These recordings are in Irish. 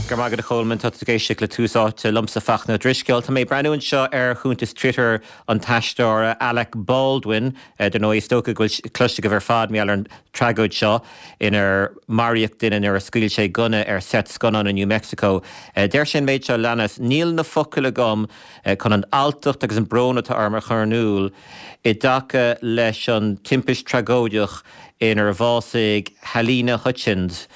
Go raibh maith agat a Cholmáin, tá tú ag éisteacht le Tús Áite liomsa Fachtna Ó Drisceoil. Tá mé ag breathnú anseo ar chuntas Twitter an t-aisteora Alec Baldwin. Dar ndóigh, is dócha go bhfuil cloiste agaibh ar fad mar gheall ar an tragóid seo inar maraíodh duine nuair a scaoil sé gunna ar seit scannáin i New Mexico. Deir sé an méid seo a leanas, Níl na focail agam chun an alltacht agus an brón atá orm a chur in iúl i dtaca leis an timpist tragóideach inar bhásaigh Halyna Hutchins,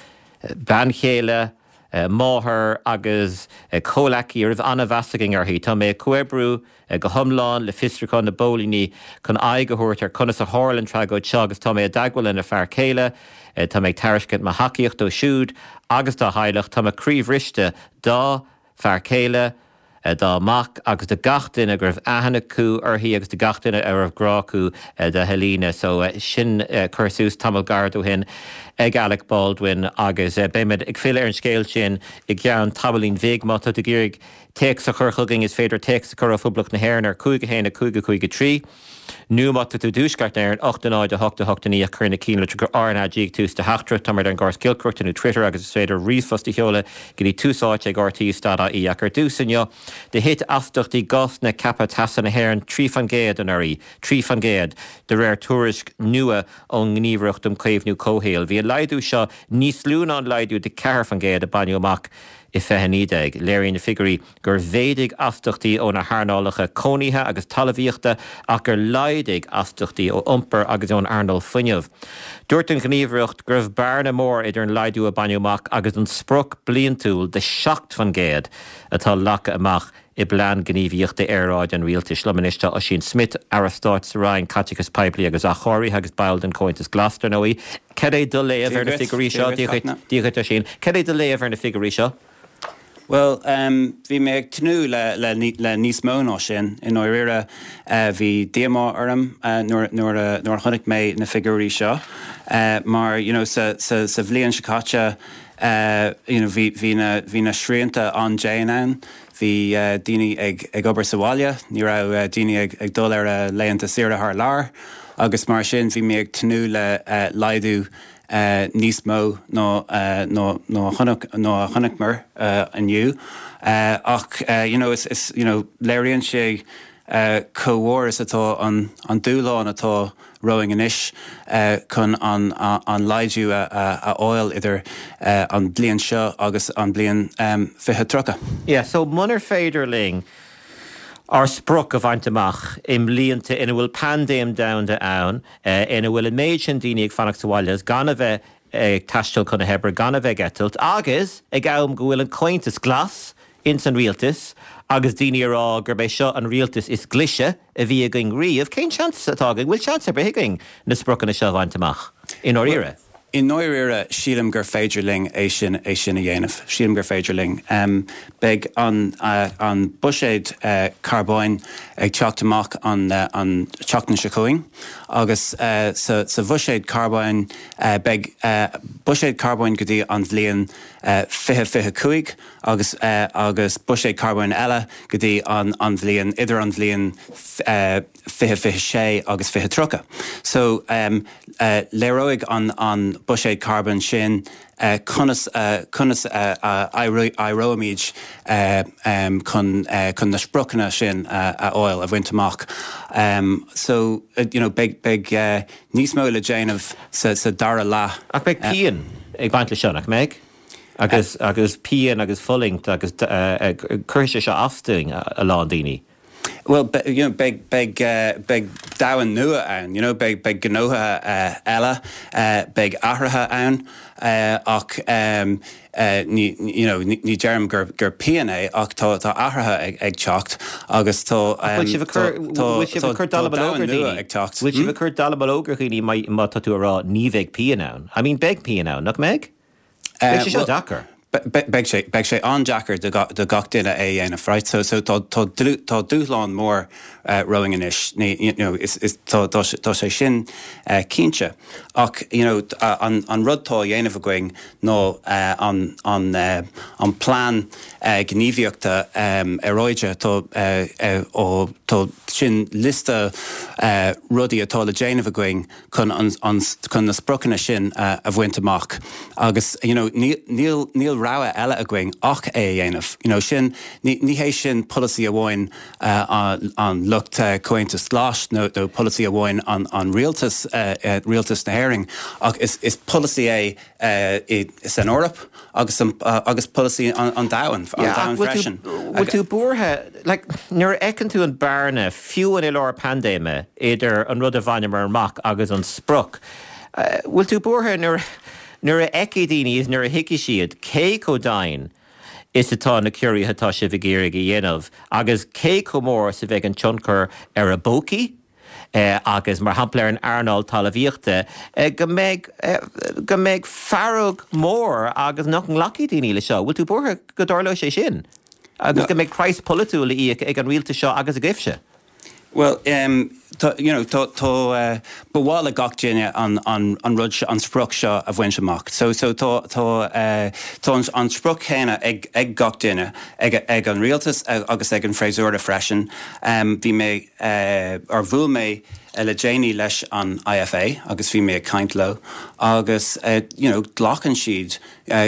bean chéile, máthair agus comhleacaí a raibh an-mheas againn uirthi. Tá mé ag comhoibriú go hiomlán le fiosrúchán na bpóilíní chun aghaidh a thabhairt ar conas a tharla an tragóid seo agus tá mé i dteagmháil lena fear céile. Tá mé ag tairiscint mo thacaíocht dó siúd agus dá theaghlach. Tá mo chroí bhriste dá fear céile, dá mac agus do gach duine go raibh aithne acu uirthi agus do gach duine a raibh grá acu do Halyna. So sin cur suas tamall gairid ó shin ag Alec Baldwin agus beimid ag filleadh ar an scéal sin i gceann tamaillín bhig. Má tá tú ag iarraidh téacs a chur chugainn is féidir téacs a chur ó Phoblacht na hÉireann ar 5 1 5 5 3. Nó má tá tú i dTuaisceart na hÉireann, 8 0 8 8 9 ach cuir na cinnlitreacha RnaG ag tús do theachtaireacht. Táimid ar an gcóras giolcaireachta nó Twitter agus is féidir ríomhphost a sheoladh go dtí tús áite ag rte.ie. Ach ar dtús inniu, do thit astachtaí gásanna ceaptha teasa na hÉireann 3% anuraidh, 3%, de réir tuairisc nua ón nGníomhaireacht um Chaomhnú Comhshaoil. Bhí an laghdú seo níos lú ná an laghdú de 4% a baineadh amach i 2019. Léiríonn na figiúirí gur mhéadaigh astachtaí ó na hearnálacha cónaithe agus talmhaíochta ach gur laghdaigh astachtaí ó iompar agus ón earnáil fuinnimh. Dúirt an Ghníomhaireacht go raibh bearna mór idir an laghdú a baineadh amach agus an sprioc bliantúil de 7% atá leagtha amach i bPlean Gníomhaíochta Aeráide an Rialtais. Liom anois tá Ossian Smyth, Aire Stáit sa Roinn Caiteachais Poiblí agus Athchóirithe agus ball den Chomhaontas Glas, dar ndóigh. Cad é do léamh ar na figiúirí seo? Dia dhuit, Ossian. Cad é do léamh ar na figiúirí seo? Bhuel, bhí mé ag tnúth le níos mó ná sin. I ndáiríre, bhí díomá orm nuair a chonaic mé na figiúirí seo mar, you know, sa bhliain seo caite, you know, bhí na srianta an-dian ann. Bhí daoine ag obair sa bhaile, ní raibh daoine ag dul ar a laethanta saoire thar lear agus mar sin bhí mé ag tnúth le laghdú níos mó ná ná a chonaiceamar inniu. Ach you know is you know léiríonn sé chomh mhór is atá an dúshlán atá romhainn anois chun an an laghdú a fháil idir an bliain seo agus an bliain 2030. Yeah, so munar féidir linn ár sprioc a bhaint amach i mblianta ina bhfuil paindéim domhanda ann, ina bhfuil an méid sin daoine ag fanacht sa bhaile agus gan a bheith ag taisteal chun na hoibre, gan a bheith ag eitilt, agus ag am go bhfuil an Comhaontas Glas ins an rialtas agus daoine ag rá gurb é seo an rialtas is glaise a bhí againn riamh, cén seans atá againn, bhfuil seans ar bith againn na spriocanna seo a bhaint amach, i ndáiríre? I ndáiríre, sílim gur féidir linn é sin, é sin a dhéanamh. Sílim gur féidir linn. Beidh an, an buiséad carbóin ag teacht amach an, an tseachtain seo chugainn agus sa, sa bhuiséad carbóin beidh buiséad carbóin go dtí an bhliain 2025 agus, agus buiséad carbóin eile go dtí an, an bhliain, idir an bhliain 2026 agus 2030. So, léireoidh an buiséad carbóin sin conas conas a éireoimid chun chun na spriocanna sin a fháil, a bhaint amach. So, you know, beidh beidh níos mó le déanamh sa sa dara leath. Ach beidh pian ag baint leis seo, nach mbeidh? Agus agus pian agus fulaingt agus cuirfidh sé seo as dúinn, a lán daoine. Bhuel, you know, beidh, beidh, beidh domhan nua ann, you know, beidh, beidh gnóthaithe eile, beidh athruithe ann, ach ní, you know, ní deirim gur, gur pian é ach tá, tá athruithe ag, ag teacht agus tá, Ach bhfuil sibh ag cur, tá, bhfuil sibh ag cur dallamullóg ar dhaoine? ag teacht. Bhfuil sibh ag cur dallamullóg ar dhaoine má, má tá tú ag rá ní bheidh pian ann? I mean, beidh pian ann, nach mbeidh? Beidh sé seo deacair. Beidh sé, beidh sé an-deacair do do gach duine é a dhéanamh, right? So, so tá, tá tá dúshlán mór romhainn anois, ní, you know, is, is, tá, tá sé, tá sé sin cinnte. Ach, you know, an, an rud tá á dhéanamh againn ná an, an, an plean gníomhaíochta aeráide, tá, á, tá sin liosta rudaí atá le déanamh againn chun an, chun na spriocanna sin a bhaint amach agus you know níl, níl, níl. rogha eile againn ach é a dhéanamh. You know, sin, ní, ní hé sin polasaí amháin an lucht Comhaontas Glas nó, nó polasaí amháin an, an rialtas, rialtas na hÉireann ach is, is polasaí é i, san Eoraip agus an, agus polasaí an, an domhain, an Yeah, ach domhain bhfuil tú, freisin. bhfuil tú buartha, like, nuair a fheiceann tú an bearna, fiú i lár paindéime, idir an rud a bhaineamar amach agus an sprioc, bhfuil tú buartha nuair, Nuair a fheicfidh daoine is nuair a thuigfidh siad cé chomh domhain is atá na ciorruithe atá sibh ag iarraidh a dhéanamh agus cé chomh mór is a bheidh an tionchar ar a bpócaí agus, mar shampla, ar an earnáil talmhaíochta, go mbeidh, go mbeidh fearg mhór agus nach nglacfaidh daoine leis seo. Bhfuil tú buartha go dtarlóidh sé sin agus go mbeidh praghas polaitiúil le íoc ag an rialtas seo agus agaibhse? Bhuel, tá, you know, tá, tá, ba mhaith le gach duine an, an, an rud seo, an sprioc seo a bhaint amach. So, so tá, tá, tá an, an sprioc chéanna ag, ag gach duine, ag, ag an rialtas agus ag an bhfreasúra freisin. Bhí mé, or bhuail mé le déanaí leis an IFA agus bhí mé ag caint leo agus, you know, glacann siad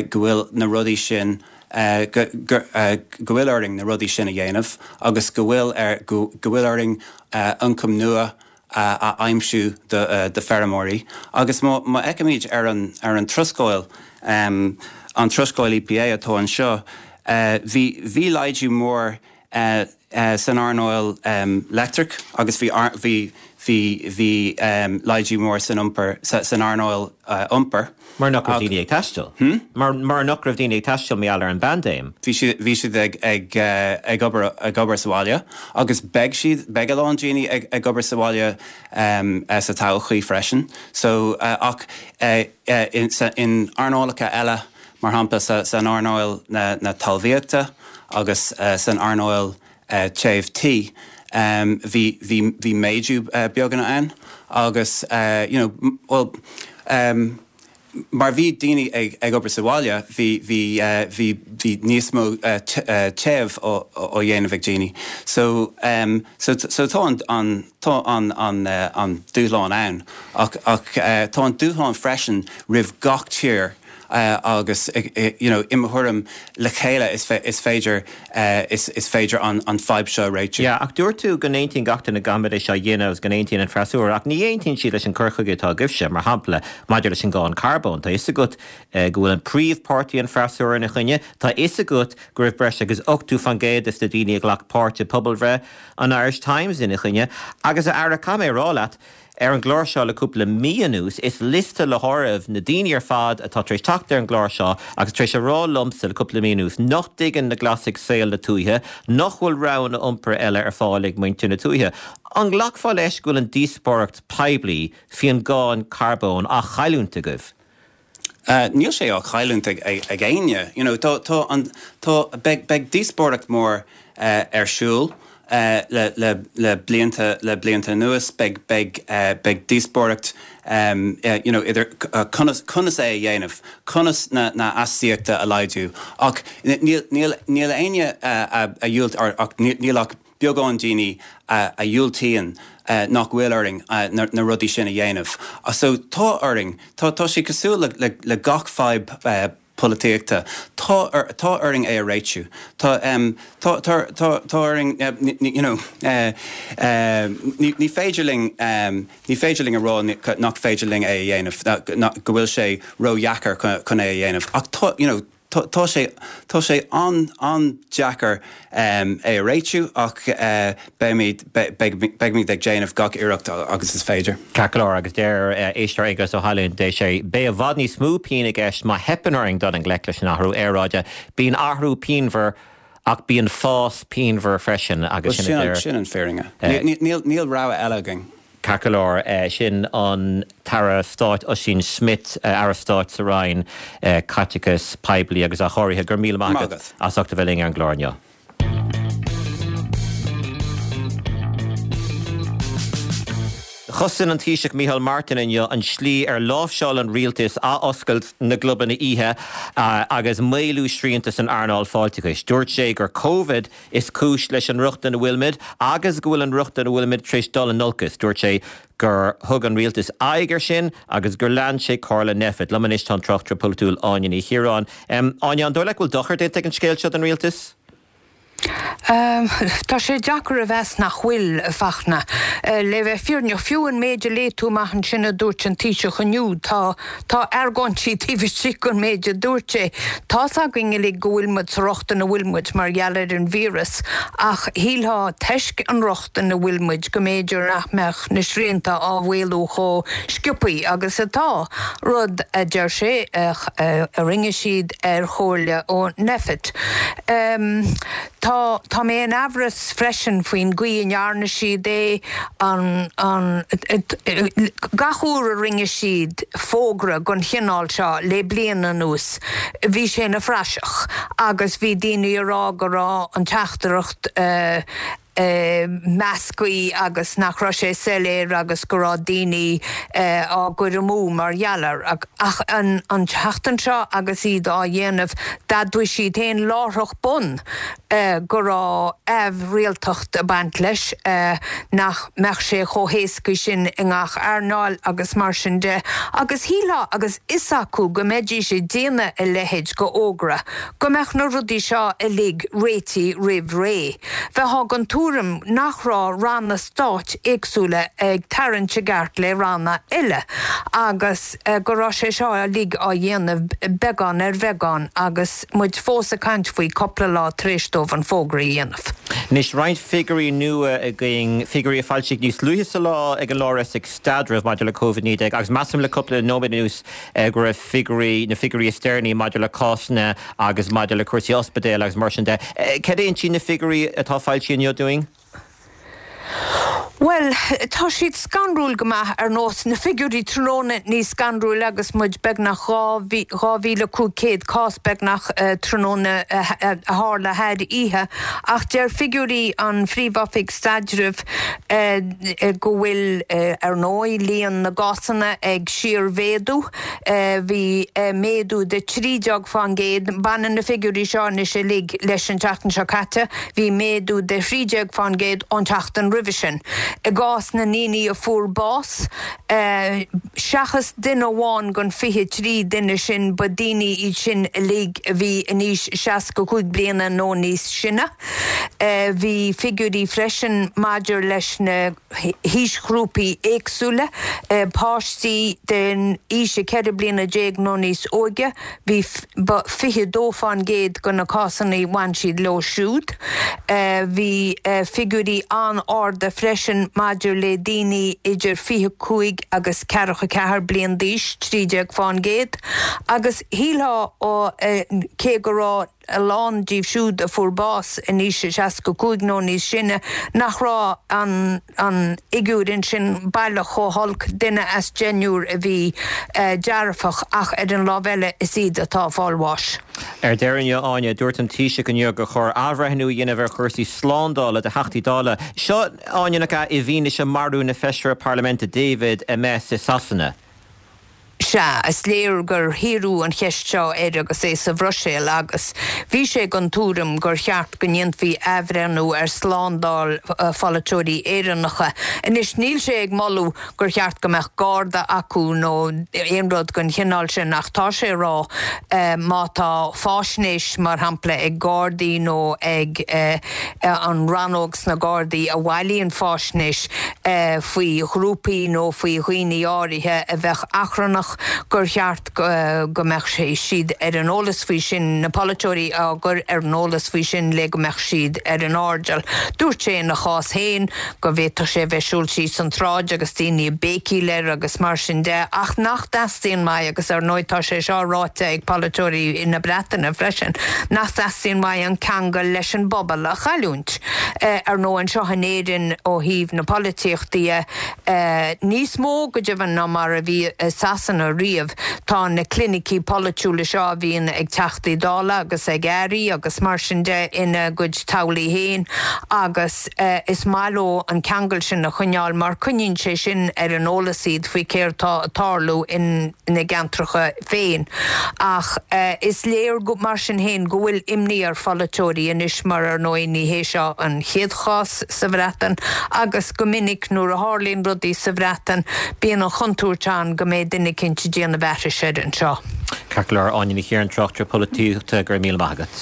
go bhfuil na rudaí sin, go bhfuil orainn na rudaí sin a dhéanamh agus go bhfuil go bhfuil orainn ioncam nua a aimsiú do feirmeoirí. Agus má fheicimid ar an ar an tuarascáil, an tuarascáil EPA atá anseo, bhí bhí laghdú mór san earnáil leictreach agus bhí bhí bhí bhí laghdú mór san iompar san earnáil iompair. Mar nach raibh daoine ag taisteal. Mar mar nach raibh daoine ag taisteal mar gheall ar an bpaindéim. Bhí siad bhí siad ag ag ag obair ag obair sa bhaile agus beidh siad beidh a lán daoine ag ag obair sa bhaile sa todhchaí freisin. So ach in in earnálacha eile mar shampla sa san earnáil na na talmhaíochta agus san earnáil téamh tí, bhí bhí bhí méadú beagán ann agus you know bhuel mar bhí daoine ag ag obair sa bhaile bhí bhí bhí bhí níos mó téamh á á dhéanamh ag daoine. So so so tá an an tá an an an dúshlán ann ach ach tá an dúshlán freisin roimh gach tír agus you know i mo thuairim le chéile is is féidir is is féidir an an fadhb seo a réitiú. Yeah, ach dúirt tú go n-aontaíonn gach duine go gcaithfimid é seo a dhéanamh agus go n-aontaíonn an freasúra, ach ní aontaíonn siad leis an cur chuige atá agaibhse, mar shampla, maidir leis an gcáin carbóin. Tá fhios agat go bhfuil an príomhpháirtí an freasúra ina choinne, tá fhios agat go raibh breis agus 80% des na daoine a ghlac páirt i bpobalbhreith an Irish Times ina choinne, agus a Aire, caithfidh mé a rá leat, Ar an gclár seo le cúpla mí anuas, is liosta le háireamh na daoine ar fad atá tar éis teacht ar an gclár seo agus tar éis a rá liomsa le cúpla mí anuas nach dtuigeann na Glasaigh saol na tuaithe, nach bhfuil roghanna iompair eile ar fáil ag muintir na tuaithe. An nglacfá leis go bhfuil an díospóireacht poiblí faoin gcáin carbóin á chailliúint agaibh? Níl sé á chailliúint ag éinne. You know, tá, tá an, tá, beidh, beidh díospóireacht mór ar siúl le, le, le blianta, le blianta anuas. Beidh, beidh, beidh díospóireacht you know, idir conas, conas é a dhéanamh, conas na, na astaíochta a laghdú. Ach níl, níl, níl éinne a dhiúlt, ach níl ach beagán daoine a dhiúltaíonn nach bhfuil orainn na rudaí sin a dhéanamh. So tá orainn, tá tá sé cosúil le le gach fadhb polaitíochta, tá tá orainn é a réitiú. Tá tá tá tá tá orainn you know ní ní féidir linn ní féidir linn a rá nach féidir linn é a dhéanamh, go bhfuil sé ródheacair chun é a dhéanamh ach tá you know Tá sé, tá sé an-an-deacair é a réitiú ach beimid, beimid ag déanamh gach iarracht agus is féidir. Ceart go leor, agus deir éisteoir Aengus Ó hAilín, deir sé, beidh i bhfad níos mó pian i gceist má theipeann orainn dul i ngleic leis an athrú aeráide. Bíonn athrú pianmhar ach bíonn fás pianmhar freisin agus sin a deir. Sin an fírinne. Níl rogha eile againn. Ceart go leor, sin an tAire Stáit Ossian Smyth, Aire Stáit sa Roinn Caiteachais Poiblí agus Athchóirithe. Go raibh míle maith agat as ucht a bheith linn ar an gclár inniu. Chosain an Taoiseach Micheál Martin inniu an tslí ar láimhseáil an rialtas athoscailt na gclubanna oíche agus maolú srianta san earnáil fáilteachais. Dúirt sé gur Covid is cúis leis an riocht ina bhfuilimid agus go bhfuil an riocht ina bhfuilimid tar éis dul in olcas. Dúirt sé gur thug an rialtas aghaidh air sin agus gur lean sé comhairle Nphet. Liom anois tá an tráchtaire polaitiúil Áine Ní Chiaráin. Áine, an dóigh leat go bhfuil dochar déanta ag an scéal seo don rialtas? Tá sé deacair a mheas nach bhfuil, a Fachtna. Le bheith fírinneach, fiú an méid a léigh tú amach ansin a dúirt an Taoiseach inniu, tá, tá argóintí taobh istigh den méid a dúirt sé. Tá's againn uilig go bhfuil muid sa riocht ina bhfuil muid mar gheall ar an víreas, ach shílfeá, toisc an riocht ina bhfuil muid, go mb'fhéidir nach mbeadh na srianta á mhaolú chomh sciobthaí agus atá, rud a deir sé a rinne siad ar chomhairle ó Nphet. Tá, tá mé in aimhreas freisin faoin gcaoi a ndearna siad é, an, an, gach uair a rinne siad fógra den chineál seo le bliain anuas, bhí sé ina phraiseach agus bhí daoine ag rá go raibh an teachtaireacht, measctha agus nach raibh sé soiléir agus go raibh daoine á gcur amú mar gheall air. Ach an tseachtain seo agus iad á dhéanamh, d'admhaigh siad féin láithreach bonn go raibh aimhrialtacht ag baint leis, nach mbeadh sé chomh héasca sin i ngach earnáil agus mar sin de. Agus shílfeá, agus fhios acu go mbeidís ag déanamh a leithéid de fhógra, go mbeadh na rudaí seo uilig réitithe roimh ré. Bheifeá den tuairim nach raibh ranna stáit éagsúla ag tarraingt a gceart le ranna eile agus go raibh sé seo uilig á dhéanamh beagán ar bheagán agus muid fós ag caint faoi cupla lá tar éis dóibh an fógra a dhéanamh. Anois roinnt figiúirí nua againn, figiúirí a foilsíodh níos luaithe sa lá ag an Lár-Oifig Staidrimh maidir le Covid-19 agus measaim le cúpla nóiméad anuas go raibh figiúirí, na figiúirí is deireanaí maidir le cásanna agus maidir le cúrsaí ospidéil agus mar sin de. Cad é a insíonn na figiúirí atá foilsithe inniu dúinn? Bhuel, tá siad scanrúil go maith, ar nós na figiúirí tráthnóna níos scanrúil agus muid beagnach 2,500 cás beagnach tráthnóna a tharla thar oíche. Ach deir figiúirí an Phríomh-Oifig Staidrimh go bhfuil, ar ndóigh, líon na gcásanna ag síormhéadú. Bhí méadú de 13%, baineann na figiúirí seo anois uilig leis an tseachtain seo caite, bhí méadú de 13% ón tseachtain roimhe sin. I gcás na ndaoine a fuair bás, seachas duine amháin den 23 duine sin, ba daoine iad sin uilig a bhí in aois 65 bliana nó níos sine. Bhí figiúirí freisin maidir leis na haoisghrúpaí éagsúla, páistí den aois 14 bliana nó níos óige, bhí ba 22% de na cásanna bhain siad leo siúd. Bhí figiúirí an-arda freisin maidir le daoine idir 25 agus 44 bliain d'aois, 13%, agus shílfeá cé go raibh a lán díobh siúd a fuair bás in aois 65 nó níos sine, nach raibh an an fhigiúr ansin baileach chomh holc, duine as deichniúr a bhí dearfach, ach ar an lámh eile is iad atá ag fáil bháis. Ar deireadh inniu, Áine, dúirt an Taoiseach inniu gur chóir athbhreithniú a dhéanamh ar chúrsaí slándála do Theachtaí Dála. Seo, Áine, nach ea, i bhfianaise marú na Feisire Parlaiminte David Amess i Sasana. Sea, is léir gur hiarradh an cheist seo air agus é sa Bhruiséil agus bhí sé den tuairim gur cheart go ndéanfaí athbhreithniú ar slándáil pholaiteoirí Éireannacha. Anois, níl sé ag moladh gur cheart go mbeadh garda acu nó aon rud den chineál sin ach tá sé ag rá má tá fáisnéis, mar shampla, ag Gardaí nó ag an rannóg sna Gardaí a bhailíonn fáisnéis faoi ghrúpaí nó faoi dhaoine áirithe a bheadh achrannach, gur cheart go mbeadh siad ar an eolas faoi sin, na polaiteoirí á gcur ar an eolas faoi sin le go mbeadh siad ar an airdeall. Dúirt sé ina chás féin go bhféadfadh sé a bheith ag siúl síos an tsráid agus daoine ag béicíl air agus mar sin de ach nach dteastaíonn uaidh, agus ar ndóigh tá sé seo ráite ag polaiteoirí na Breataine freisin, nach dteastaíonn uaidh an ceangal leis an bpobal a chailliúint. Ar ndóigh anseo in Éirinn ó thaobh na polaitíochta dhe, níos mó go deimhin ná mar a bhí i Sasana. riamh. Tá na clinicí polaitiúla seo a bhíonn ag Teachtaí Dála agus ag Airí agus mar sin de ina gcuid teaghlaigh féin agus is maith leo an ceangal sin a choinneáil mar coinníonn sé sin ar an eolas iad faoi céard tá ag tarlú ina gceantracha féin. Ach is léir, mar sin féin, go bhfuil imní ar pholaiteoirí anois mar ar ndóigh ní hé seo an chéad chás sa Bhreatain agus go minic nuair a tharlaíonn rudaí sa Bhreatain bíonn an chontúirt ann go mbeidh duine eicínt ag déanamh aithris air anseo. Ceart go leor, Áine Ní Chiaráin, tráchtaire polaitíochta, go raibh míle maith agat.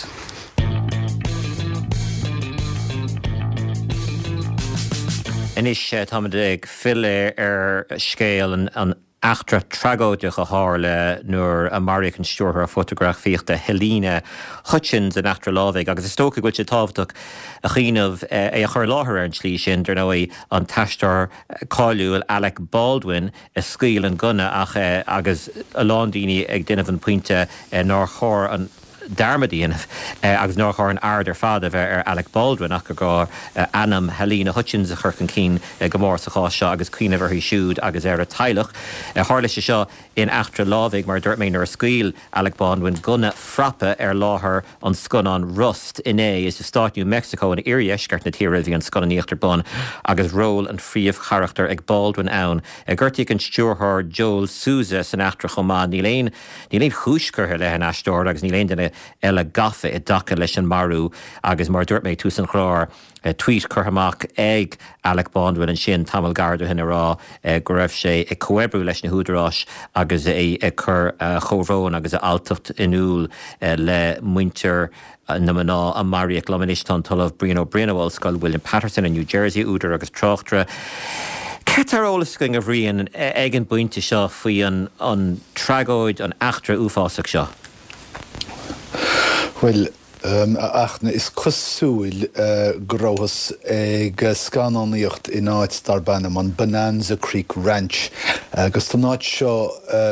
Anois táimid ag filleadh ar scéal an eachtra tragóideach a tharla nuair a maraíodh an stiúrthóir fótagrafaíochta Halyna Hutchins in eachtra lámhaigh agus is dócha go bhfuil sé tábhachtach a chuimhneamh é a chur i láthair ar an tslí sin, dar ndóigh, an t-aisteoir cáiliúil Alec Baldwin a scaoil an gunna ach agus a lán daoine ag déanamh an pointe nár chóir an dearmad a dhéanamh agus nár chóir an aird ar fad a bheith ar Alec Baldwin ach gur gá ainm Halyna Hutchins a chur chun cinn go mór sa chás seo agus cuimhneamh uirthi siúd agus ar a teaghlach. Tharla sé seo in eachtra lámhaigh, mar a dúirt mé, nuair a scaoil Alec Baldwin gunna frapa ar láthair an scannáin Rust inné. Is i stát New Mexico in iardheisceart na tíre a bhí an scannánaíocht ar bun agus ról an phríomhcharachtair ag Baldwin ann. Gortaíodh an stiúrthóir Joel Souza san eachtra chomh maith. Níl aon Níl aon chúis curtha i leith an aisteora agus níl aon duine eile gafa i dtaca leis an marú agus mar a dúirt mé ag tús an chláir, tweet curtha amach ag Alec Baldwin ansin tamall gairid ó shin ag rá go raibh sé ag comhoibriú leis na húdaráis agus é ag cur a chomhbhrón agus a alltacht in iúl le muintir na mná a maraíodh. Liom anois tá an tOllamh Brian Ó Broin ó Ollscoil William Paterson i New Jersey, údar agus tráchtaire. Céard tá ar eolas againn, a Bhriain, ag an bpointe seo faoi an tragóid, an eachtra uafásach seo? Bhuel, a Fhachtna, is cosúil go rabhthas ag scannánaíocht in áit darb ainm an Bonanza Creek Ranch agus tá an áit seo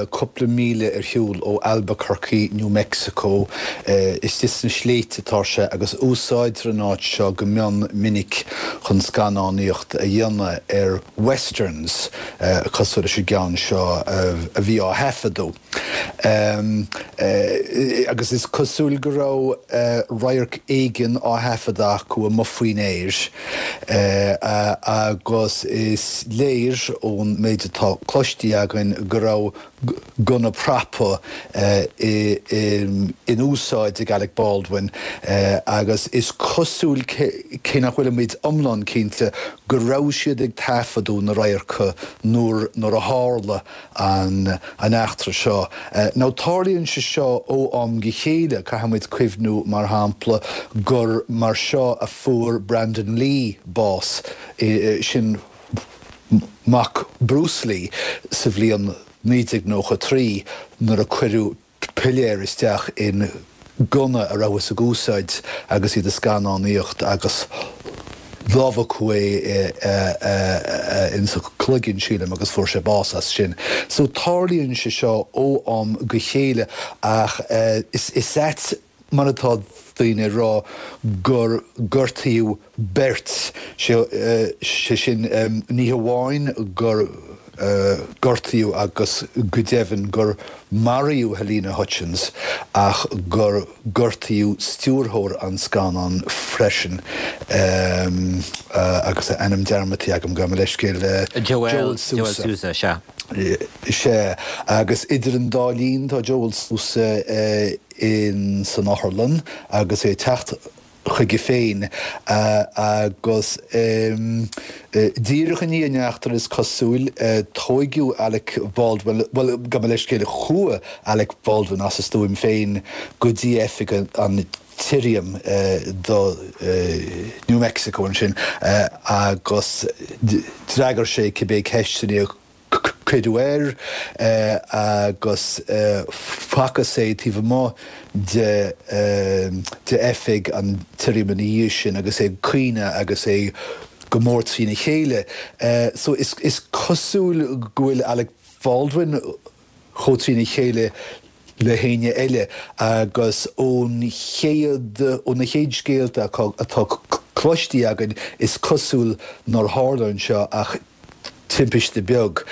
cúpla míle ar shiúl ó Albuquerque, New Mexico. Istigh sna sléibhte atá sé agus úsáidtear an áit seo go mion minic chun scannánaíocht a dhéanamh ar westerns cosúil leis an gceann seo a bhí á thaifeadadh. Agus is cosúil go raibh radharc éigin á thaifeadadh acu amuigh faoin aer agus is léir ón méid atá cloiste againn go raibh gunna prapa in úsáid ag Alec Baldwin agus is cosúil, cé nach bhfuilimid iomlán cinnte, go raibh siad ag taifeadadh na radharca nuair a tharla an eachtra seo. Now tarlaíonn sé seo ó am go chéile, caithfimid cuimhniú, mar shampla, gur mar seo a fuair Brandon Lee bás, sin mac Bruce Lee, sa bhliain 1993 nuair a cuireadh piléar isteach in gunna a rabhthas ag úsáid agus iad ag scannánaíocht agus lámhachadh é insa chloigeann, sílim, agus fuair sé bás as sin. So tarlaíonn sé seo ó am go chéile ach is ait mar atá daoine ag rá gur gortaíodh beirt, sé sin ní hamháin gur gortaíodh agus go deimhin gur maraíodh Halyna Hutchins ach gur gortaíodh stiúrthóir an scannáin freisin agus a ainm dearmadta agam, gabh mo leithscéal, Joel Souza, sea. Sea, agus idir an dá linn tá Joel Souza in san otharlann agus é ag teacht chuige féin agus díreach i ndiaidh an eachtra is cosúil, tóigeadh Alec Baldwin, bhuel, gabh mo leithscéal, chuaigh Alec Baldwin as a stuaim féin go dtí oifig an tSirriam do New Mexico ansin agus d'fhreagair sé cibé ceisteanna a cuireadh air agus facthas é taobh amuigh de oifig an tSirriam ina dhiaidh sin agus é ag caoineadh agus é go mór trína chéile. So is cosúil go bhfuil Alec Baldwin chomh trína chéile le héinne eile agus ón chéad, ó na chéad scéalta atá cloistí againn is cosúil nár tharla anseo ach timpiste beag.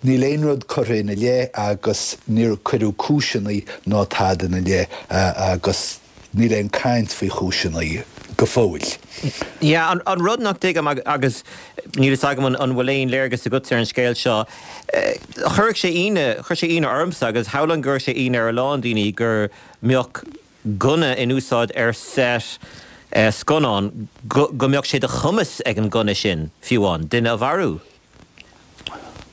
Níl aon rud curtha ina leith agus níor cuireadh cúiseanna ná tada ina leith agus níl aon caint faoi chúiseanna go fóill. Yeah, an rud nach dtuigim agus níl fhios agam an bhfuil aon léargas agatsa ar an scéal seo, chuirfeadh sé ionadh, chuir sé ionadh ormsa agus shamhlóinn go gcuirfeadh sé ionadh ar a lán daoine go mbeadh gunna in úsáid ar set scannán, go mbeadh sé de chumas ag an gunna sin, fiú amháin, duine a mharú.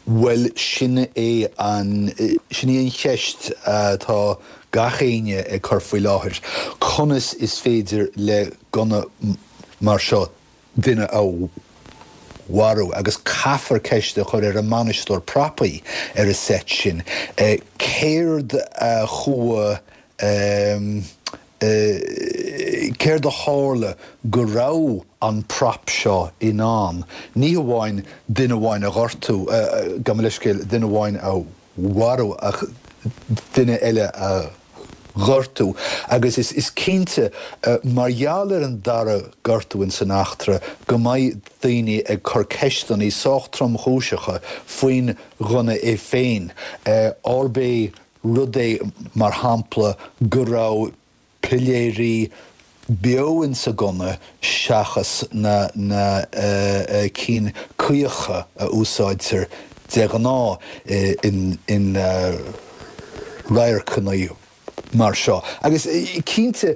Bhuel, sin é an, sin í an cheist atá gach éinne ag cur faoi láthair, conas is féidir le gunna mar seo duine a mharú? Agus caithfear ceist a chur ar an mbainisteoir prapaí ar an seit sin, céard a chuaigh Céard a tharla go raibh an prop seo in ann ní hamháin duine amháin a ghortú, gabh mo leithscéal, duine amháin a mharú ach duine eile a ghortú? Agus is cinnte, mar gheall ar an dara gortú ins an eachtra, go mbeidh daoine ag cur ceisteanna sách tromchúiseacha faoin ghunna é féin, arb é rud é, mar shampla, go raibh piléirí beo insa gunna seachas na na cinn caocha a úsáidtear de ghnáth in in radharcanna mar seo. Agus cinnte,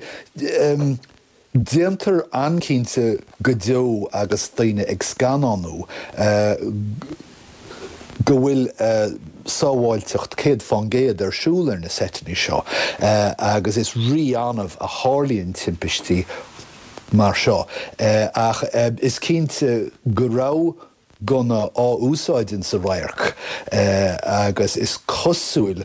Déantar an-chinnte go deo agus daoine ag scannánú go bhfuil sábháilteacht 100% ar siúl ar na seiteanna seo agus is rí-annamh a tharlaíonn timpistí mar seo. Ach is cinnte go raibh gunna á úsáid insa radharc agus is cosúil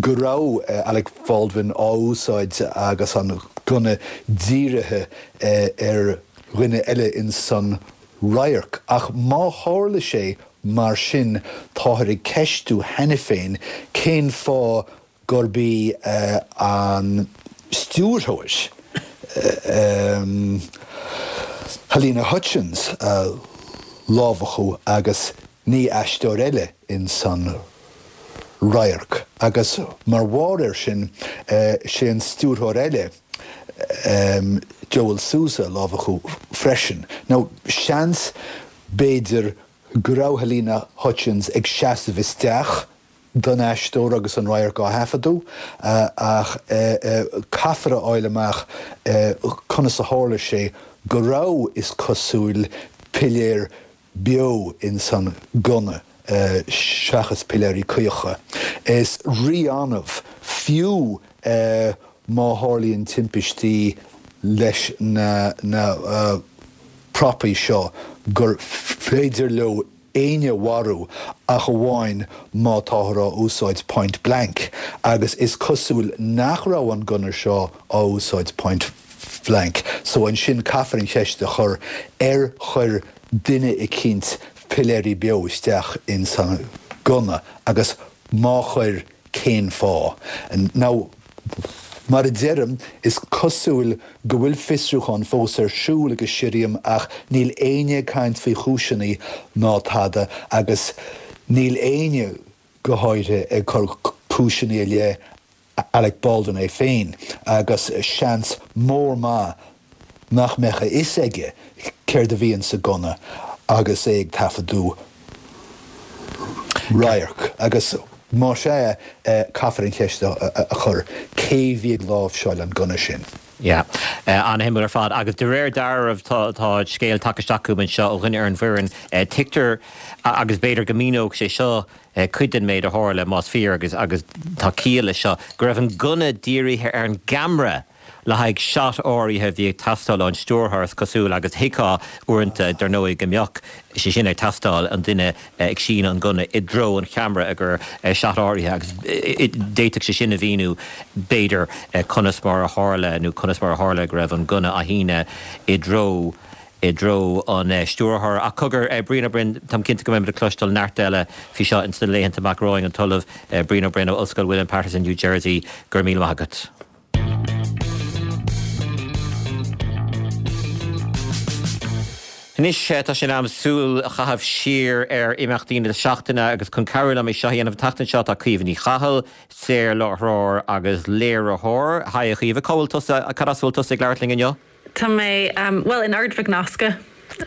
go raibh Alec Baldwin á úsáid agus an gunna dírithe ar dhuine eile insan radharc. Ach má tharla sé mar sin táthar ag ceistiú cheana féin cén fáth gurb í an stiúrthóir, Halyna Hutchins, a lámhachadh agus ní aisteoir eile ins an radharc. Agus mar bharr air sin, sé an stiúrthóir eile, Joel Souza, a lámhachadh freisin. Now, seans, b'fhéidir, go raibh Halyna Hutchins ag seasamh isteach don aisteoir agus an radharc á thaifeadadh, ach caithfear a fháil amach conas a tharla sé go raibh, is cosúil, piléar beo ins an gunna seachas piléirí caocha. Is rí-annamh, fiú má tharlaíonn timpistí leis na prapaí seo, gur féidir leo éinne a mharú ach amháin má táthar á úsáid point blank agus is cosúil nach raibh an gunna seo á úsáid point blank so ansin caithfear an cheist a chur ar chuir duine eicínt piléirí beo isteach ins an gunna agus má chuir cén fáth? Now mar a deirim, is cosúil go bhfuil fiosrúchán fós ar siúl ag an sirriam ach níl éinne ag caint faoi chúiseanna ná tada agus níl éinne, go háirithe, ag cur cúiseanna i leith Alec Baldwin é féin agus seans mór maith nach mbeadh a fhios aige céard a bhí insa gunna agus é ag taifeadadh radharc. Agus más ea, caithfear an cheist a chur, cé bhí ag láimhseáil an gunna sin? Yeah. An-shuimiúil ar fad. Agus de réir dealraimh tá scéal tagtha isteach chugam anseo ó dhuine ar an bhfoireann, tuigtear, agus b'fhéidir go míneodh sé seo cuid den méid a tharla, más fíor, agus agus tá ciall leis seo, go raibh an gunna dírithe ar an gceamara le haghaidh shot áirithe a bhí ag teastáil ón stiúrthóir, is cosúil, agus thuigfeá uaireanta, dar ndóigh, go mbeadh sé sin ag teastáil, an duine ag síneadh an gunna i dtreo an cheamara i gcomhair shot áirithe, agus d'fhéadfadh sé sin a mhíniú, b'fhéidir, conas mar a tharla, nó conas mar a tharla go raibh an gunna á shíneadh i dtreo i dtreo an stiúrthóra. Ach cogar, Brian Ó Broin, táim cinnte go mbeimid ag cloisteáil neart eile faoi seo ins na laethanta amach romhainn, an tOllamh Brian Ó Broin ó Ollscoil William Paterson, New Jersey, go raibh míle maith agat. Anois tá sé in am súil a chaitheamh siar ar imeachtaí na seachtaine agus chun cabhrú liom é seo a dhéanamh an tseachtain seo tá Caoimhe Ní Chathail, saorláithreoir agus léiritheoir. Haigh a Chaoimhe, cá bhfuil tusa, cad as a bhfuil tusa ag labhairt linn inniu? Tá mé, bhuel, in Ard Mhic Nasca,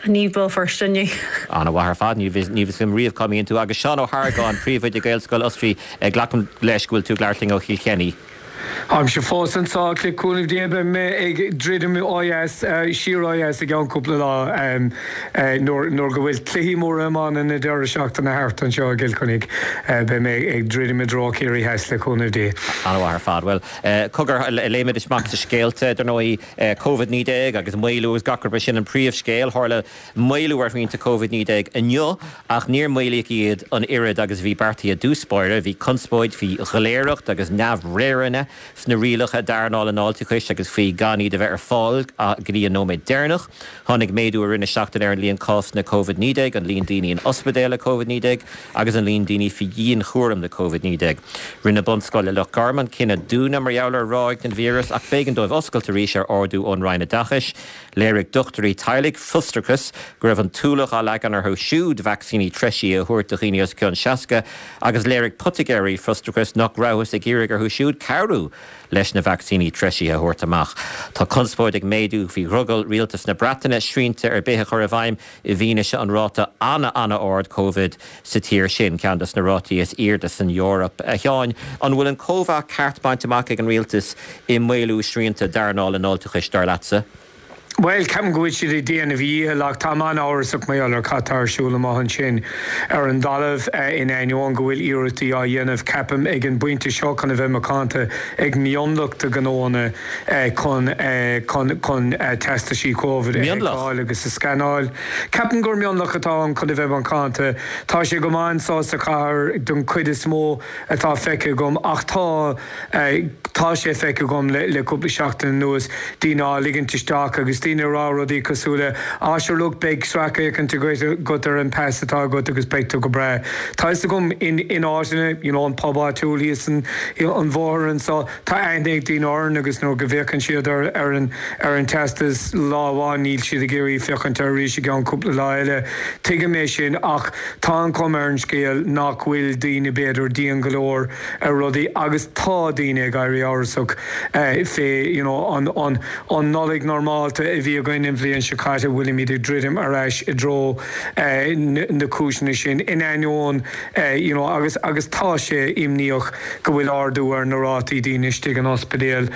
ní Béal Feirste inniu. An-mhaith ar fad, ní bhíonn a fhios agam riamh cá mbíonn tú. Agus Seán Ó hArgáin, Príomhoide Gaelscoil Osraí, glacaim leis go bhfuil tú ag labhairt linn ó Chill Chainnigh. Táimse fós anseo ach le cúnamh Dé beidh mé ag druidim ó dheas, siar ó dheas i gceann cúpla lá nuair nuair go bhfuil cluichí móra iomána na deireadh seachtaine thart anseo i gCill Chainnigh. Beidh mé ag druidim i dtreo Ciarraí Theas le cúnamh Dé. An-mhaith ar fad. Bhuel, cogar, léimidis amach sa scéalta, dar ndóigh, Covid-19 agus maolú agus gach rud, b'é sin an príomhscéal. Tharla maolú ar shrianta Covid-19 inniu ach níor maolaíodh iad an oiread agus a bhí beartaithe i dtús báire. Bhí conspóid faoi dhoiléireacht agus neamhréireanna sna rialacha d'earnáil an fháilteachais agus faoi gan iad a bheith ar fáil go dtí an nóiméad deireanach. Tháinig méadú i rith na seachtaine ar an líon cásanna Covid-19, an líon daoine in ospidéil le Covid-19 agus an líon daoine faoi dhianchúram le Covid-19. Rinne bunscoil i Loch Garman cinneadh dúnadh mar gheall ar ráig den víreas ach b'éigean dóibh oscailt arís ar ordú ón Roinn Oideachais. Léirigh dochtúirí teaghlaigh frustrachas go raibh an t-ualach á leagan orthu siúd vacsaíní treisithe a thabhairt do dhaoine os cionn 60 agus léirigh poitigéirí frustrachas nach rabhthas ag iarraidh orthu siúd cabhrú leis na vacsaíní treisithe a thabhairt amach. Tá conspóid ag méadú faoi dhrogall rialtas na Breataine srianta ar bith a chur i bhfeidhm i bhfianaise an ráta an-an-ard Covid sa tír sin, ceann de na rátaí is airde san Eoraip. A Sheáin, an bhfuil an cóimheá ceart bainte amach ag an rialtas i maolú srianta d'earnáil an fháilteachais, dar leatsa? Bhuel, ceapaim go bhfuil siad ag déanamh a dhícheall ach táim an-amhrasach mar gheall ar cad tá ar siúl amuigh ansin ar an dtalamh, in ainneoin go bhfuil iarrachtaí á dhéanamh, ceapaim, ag an bpointe seo chun a bheith macánta ag mionlach de ghnóanna chun chun chun teastaisí Covid a sheiceáil agus a scanáil. Ceapaim gur mionlach atá ann chun a bheith macánta. Tá sé go maith anso sa chathair don chuid is mó atá feicthe agam ach tá tá sé feicthe agam le le cúpla seachtain anuas daoine á ligint isteach agus daoine ag rá rudaí cosúil le 'á sure look beidh sracfhéachaint agat ar an pas atá agat agus beidh tú go breá'. Tá fhios agam in in áiteanna you know an pub áitiúil thíos an an bhóthar anso Tá aithne ag daoine orainn agus nuair go bhféachann siad ar an ar an teastas lá amháin níl siad ag iarraidh féachaint air arís i gceann cúpla lá eile. Tuigim é sin ach tá an chuma ar an scéal nach bhfuil daoine b'fhéidir dian go leor ar rudaí agus tá daoine ag éirí amhrasach fé you know an an an Nollaig normálta a bhí againn an bhliain seo caite bhfuilimid ag druidim ar ais i dtreo na cúiseanna sin in ainneoin you know agus agus tá sé imníoch go bhfuil ardú ar na rátaí daoine istigh in ospidéal.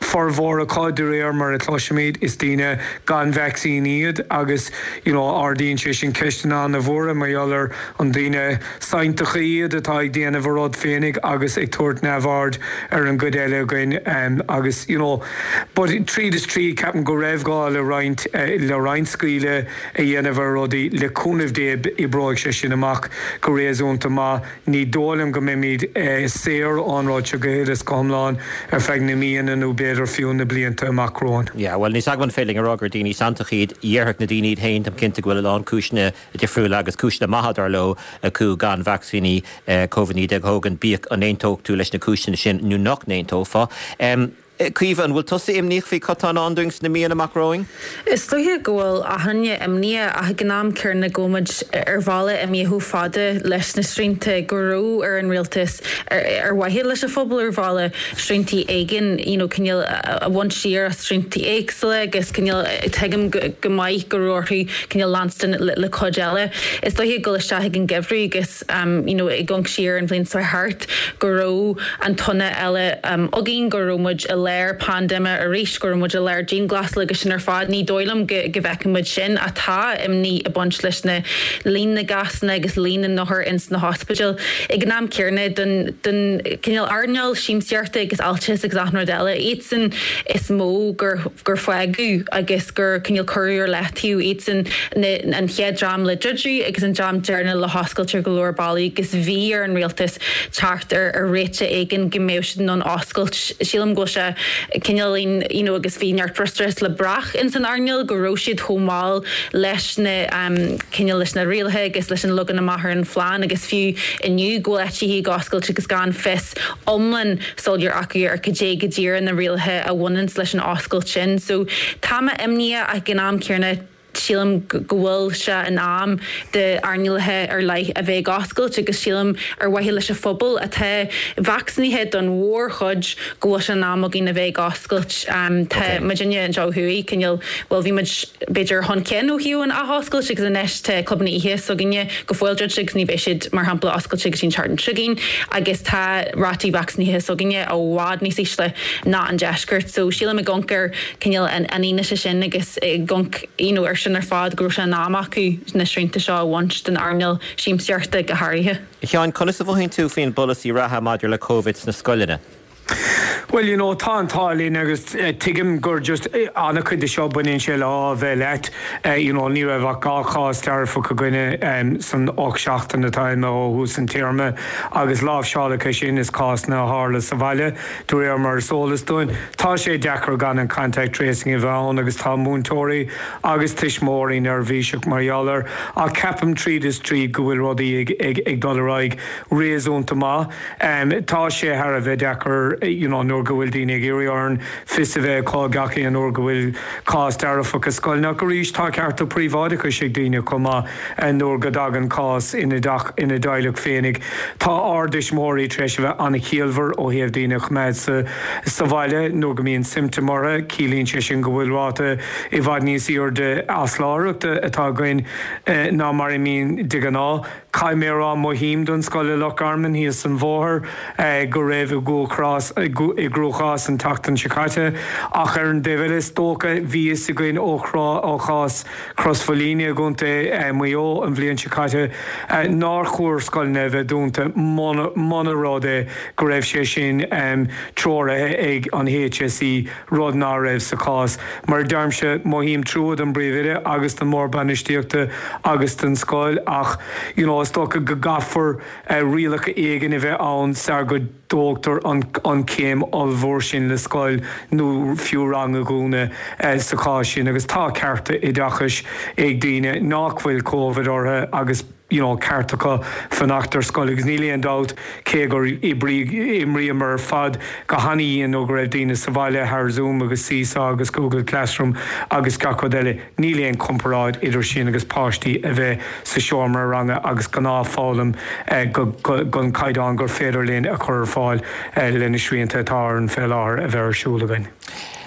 Formhór acu, de réir mar a chloisimid, is daoine gan vacsaín iad agus you know ardaíonn sé sin ceisteanna an-mhóra mar gheall ar an daoine sanntacha iad atá ag déanamh a rud féinig agus ag tabhairt neamhaird ar an gcuid eile againn agus you know but tríd is tríd ceapaim go raibh gá le roinnt le roinnt scaoileadh a dhéanamh ar rudaí. Le cúnamh Dé oibreoidh sé sin amach go réasúnta maith. Ní dóigh liom go mbeimid saor ón rud seo go huile is go hiomlán ar feadh na míonna nó b'fhéidir fiú na blianta amach romhainn. Yeah, bhuel, níl 's agam an féidir linn a rá gur daoine santacha iad. Dhéarfadh na daoine iad féin, táim cinnte go bhfuil a lán cúiseanna difriúla agus cúiseanna maithe dar leo acu gan vacsaíní Covid-19 a thógaint, bíodh an aontódh tú leis na cúiseanna sin nó nach n-aontófá. Caoimhe, an bhfuil tusa imníoch faoi cad tá i ndán dúinn sna míonna amach romhainn? Is dóiche go bhfuil achan duine imníoch ach ag an am céanna go bhfuil muid ar bhealach imithe chomh fada leis na srianta go raibh ar an rialtas ar mhaithe leis an phobal ar bhealach sriantaí éigin you know cineál a bhaint siar as sriantaí éagsúla agus cineál tuigim go maith go raibh orthu cineál leanstan le cuid eile. Is dóiche dul isteach ag an gheimhreadh agus you know ag amharc siar an bhliain seo thart go raibh an tonna eile againn, go raibh muid i lár paindéime arís, go raibh muid i lár dianghlasála agus sin ar fad. Ní dóigh liom go go bhfeicfidh muid sin ach tá imní ag baint leis na líon na gcásanna agus líon na n-othar ins na hospidéil. Ag an am céanna don don cineál earnáil siamsaíochta agus fháilteachais agus achan rud eile, iadsan is mó gur gur fágadh agus gur cineál cuireadh ar leataobh iadsan na an chéad dream le druidiú agus an dream deireanach le hoscailt ar go leor bealaí agus bhí ar an rialtas teacht ar ar réiteach éigin go mbeadh siad in ann oscailt. Sílim go bhfuil sé cineáilín you know agus bhí neart frustrachas le brath ins an earnáil go raibh siad chomh mall leis na cineál leis na rialacha agus leis an leagan amach ar an phlean agus fiú inniu go bhfuil áiteachaí ag oscailt agus gan fios iomlán soiléir acu ar cad é go díreach na rialacha a bhaineanns leis an oscailt sin. So tá mé imníoch ach ag an am céanna. Sílim go bhfuil sé in am d'earnálacha ar leith a bheith ag oscailt agus sílim ar mhaithe leis an phobal atá vacsaínithe don mhórchuid go bhfuil sé in am againn a bheith ag oscailt. Tá muidinne anseo ó thuaidh cineál, bhuel bhí muid b'fhéidir chun cinn ó thaobh an athoscailt agus anois tá clubanna oíche s'againne go fóill druidte agus ní bheidh siad mar shampla oscailte go dtí an tseachtain seo chugainn agus tá rátaí vacsaínithe s'againne i bhfad níos ísle ná an deisceart. So sílim ag amharc ar cineál an fhianaise sin agus ag amharc you know ar sin ar fad go raibh sé in am acu na srianta seo a bhaint den earnáil siamsaíochta go háirithe. A Sheáin, conas a mhothaíonn tú faoin bpolasaí reatha maidir le Covid sna scoileanna? Bhuel, you know, tá an t-ádh linn agus tuigim gur just an-chuid de seo baineann sé le ádh a bheith leat. You know, ní raibh ach 2 chás dearfach againne san 8 seachtain atá imithe ó thús an téarma agus láimhseáladh é sin is cásanna a tharla sa bhaile. De réir mar is eolas dúinn, tá sé deacair gan an contact tracing a bheith ann agus tá múinteoirí agus tuismitheoirí neirbhíseach mar gheall air ach ceapaim tríd is tríd go bhfuil rudaí ag dul ar aghaidh réasúnta maith. Tá sé thar a bheith deacair you know nuair go bhfuil daoine ag iarraidh orainn fios a bheith acu gach aon uair go bhfuil cás dearfach i scoil ach arís tá cearta príobháideachais ag daoine chomh maith. Nuair go dtagann cás ina dteach, ina dteaghlach féinig, tá ár dtuismitheoirí tar éis a bheith an-chiallmhar ó thaobh daoine a choimeád sa sa bhaile nuair go mbíonn siomptóim orthu. Ciallaíonn sé sin go bhfuil ráta i bhfad níos airde asláithreachta atá againn ná mar a mbíonn de ghnáth. Caithfidh mé a rá, mothaím don scoil i Loch Garman thíos an bhóthar go raibh i i gcruachás an tseachtain seo caite. Ach ar an dtaobh eile, is dócha, bhí fhios againn ó ó chás Chros Mhaoilíona i gContae Mhaigh Eo an bhliain seo caite nár chóir scoileanna a bheith dúnta muna rud é go raibh sé sin treoraithe ag an HSE, rud ná raibh sa chás. Mar a deirimse, mothaím trua don bPríomhoide agus don mBord Bainistíochta agus don scoil ach you know is dócha go gcaithfear rialacha éigin a bheith ann sar go dtógtar an chéim ollmhór sin le scoil nó fiú rang a dhúnadh sa chás sin agus tá cearta oideachais ag daoine nach bhfuil Covid orthu agus you know ceart acu fanacht ar scoil agus níl aon dabht cé gur oibrigh, imríomar ar fad go hana-dhian nó go raibh daoine sa bhaile thar Zoom agus Seesaw agus Google Classroom agus gach rud eile. Níl aon chomparáid idir sin agus páistí a bheith sa seomra ranga agus gnáthfhoghlaim den chaighdeán gur féidir linn a chur ar fáil le na srianta atá orainn fé láthair a bheith ar siúl againn.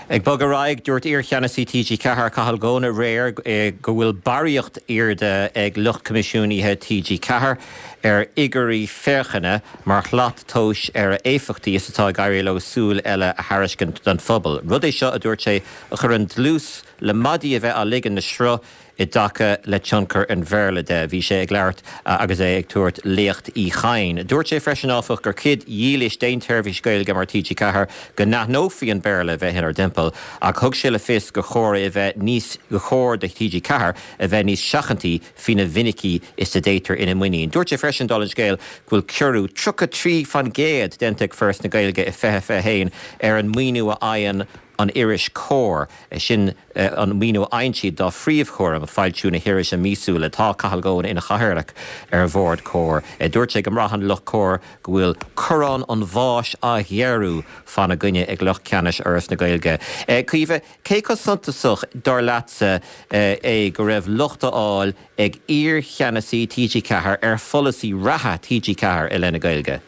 Ag bogadh ar aghaidh, dúirt iar-cheannasaí TG4, Cathal Goan aréir go bhfuil barraíocht airde ag lucht coimisiúnaithe TG4 ar fhigiúirí féachana mar shlat tomhais ar a éifeachtaí is atá ag éirí leo súil eile a thairiscint don phobal. Rud é seo, a dúirt sé, a chuireann dlús le maidí a bheith á ligean le sruth i dtaca le tionchar an Bhéarla de. Bhí sé ag labhairt agus é ag tabhairt Léacht Uí Chadhain. Dúirt sé freisin, áfach, gur cuid dhílis d'aon tseirbhís Ghaeilge mar TG4 go n-aithneofaí an Béarla a bheith inár dtimpeall ach thug sé le fios gur chóir é a bheith níos gur chóir do TG4 a bheith níos seachantaí faoina mhinicí is a dtéitear ina muinín. Dúirt sé freisin, dála an scéil, go bhfuil ciorrú 33% déanta ag Foras na Gaeilge i 2021 ar an maoiniú a fhaigheann an iris Comhar, sin an maoiniú a fhaigheann siad dá phríomhchúram, foilsiú na hirise míosúla. Tá Cathal Goan ina chathaoirleach ar bhord Comhar. Dúirt sé go mbraitheann lucht Comhar go bhfuil corrán an bháis á ghéarú fána gcoinne ag lucht ceannais Fhoras na Gaeilge. Caoimhe, cé chomh suntasach, dar leatsa, é go raibh locht á fháil ag iar-cheannasaí TG4 ar pholasaí reatha TG4 i leith na Gaeilge?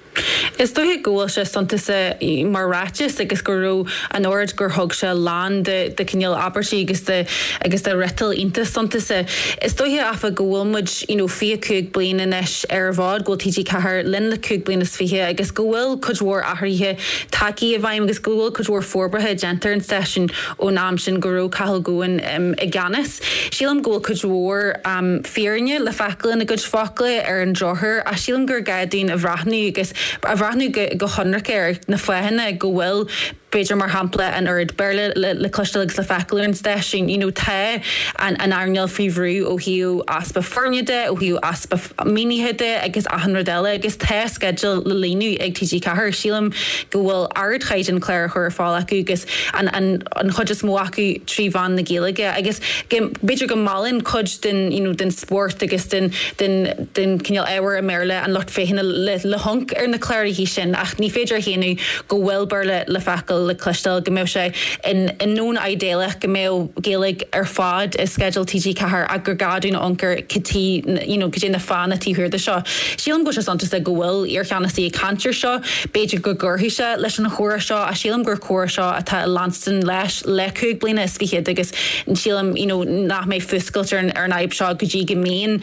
Is dóiche go bhfuil sé suntasach mar ráiteas agus go raibh an oiread gur thug sé lán de de cineál abairtí agus de agus de fhriotal iontach suntasach. Is dóiche áfach go bhfuil muid you know 25 bliain anois ar an bhfód, go bhfuil TG4 linn le cúig bliana is fiche agus go bhfuil cuid mhór athruithe tagtha i bhfeidhm agus go bhfuil cuid mhór forbartha déanta ar an stáisiún ón am sin go raibh Cathal Goan i gceannas. Sílim go bhfuil cuid mhór fírinne le feiceáil ina gcuid focla ar an drochuair ach sílim gur gá dúinn a bhreathnú agus a bhreathnú go hionraic ar na fáthanna go bhfuil b'fhéidir mar shampla an oiread Béarla le cloisteáil agus le feiceáil ar an stáisiún. You know tá an earnáil faoi bhrú ó thaobh easpa foirne de, ó thaobh easpa maoinithe de agus achan rud eile agus tá sceideal le líonadh ag TG4. Sílim go bhfuil ardchaighdeán clár á chur ar fáil acu agus an an chuid is mó acu trí mheán na Gaeilge agus go b'fhéidir go meallann cuid den you know den spórt agus den den den cineál ábhar i mBéarla an lucht féachana le le hamharc ar na cláracha sin ach ní féidir a shéanadh go bhfuil Béarla le feiceáil. focal le cloisteáil go mbeadh sé i ndomhan idéalach go mbeadh Gaeilge ar fad i sceideal TG4 ach gur gá dúinn a amharc ar cad you know cad é na fáthanna taobh thiar de seo. Sílim go bhfuil sé suntasach go bhfuil iarcheannasaí ag caint ar seo. B'fhéidir go gcuirfidh sé leis an chomhrá seo ach sílim gur comhrá seo atá ag leanstan leis le 25 bliana agus sílim you know nach mbeidh fuascailt ar an ar an fhadhb seo go dtí go mbíonn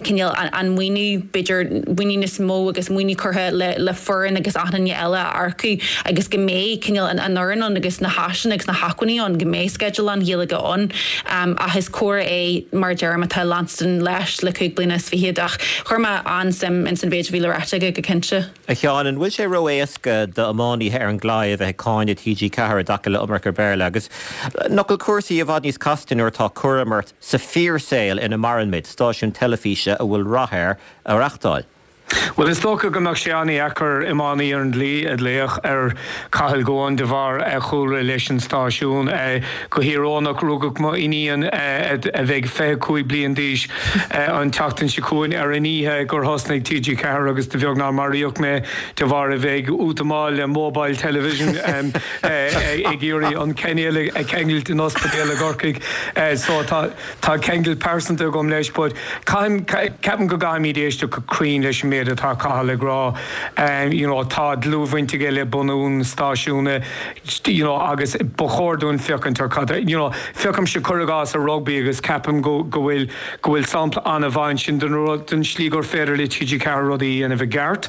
cineál an maoiniú b'fhéidir maoiniú níos mó agus maoiniú curtha le le foireann agus achan duine eile a earcú agus go mbeidh cineál an an fhoireann ann agus na háiseanna agus na hacmhainní ann go mbeidh sceideal lán-Ghaeilge ann ach is comhrá é mar a deirim atá ag leanstan leis le 25 bliana ach chuir mé an-suim ins an mhéid a bhí le ráite aige go cinnte. A Sheáin, an bhfuil sé ró-éasca d'iománaithe ar an gclaí a bheith ag cáineadh TG4 i dtaca le iomarca Béarla agus nach bhfuil cúrsaí i bhfad níos casta nuair atá cúram ort sa fíorshaol ina maireann muid, stáisiún teilifíse a bhfuil rath air a reachtáil? Bhuel, is dócha go mbeadh sé an-dheacair iománaí ar an gclaí a ghlaoch ar Cathal Goan de bharr a chúlra leis an stáisiún. Go híorónach, rugadh mo iníon, a bheidh 25 bliain d'aois an tseachtain seo chugainn, ar an oíche gur thosnaigh TG4 agus de bheag nár maraíodh mé de bharr a bheith ag útamáil le mobile television ag iarraidh an cainéal a cheangailt in ospidéal i gCorcaigh. So tá tá ceangal pearsanta agam leis but caithim, ceapaim go gcaithfimid éisteacht go cruinn leis an méid atá Cathal ag rá. You know tá dlúthbhaint aige le bunú an stáisiúna you know agus ba chóir dúinn féachaint ar cad you know féachaimse cuir i gcás ar rugbaí agus ceapaim go go bhfuil go bhfuil sampla an-mhaith ansin den rud den slí gur féidir le TG4 rudaí a dhéanamh i gceart.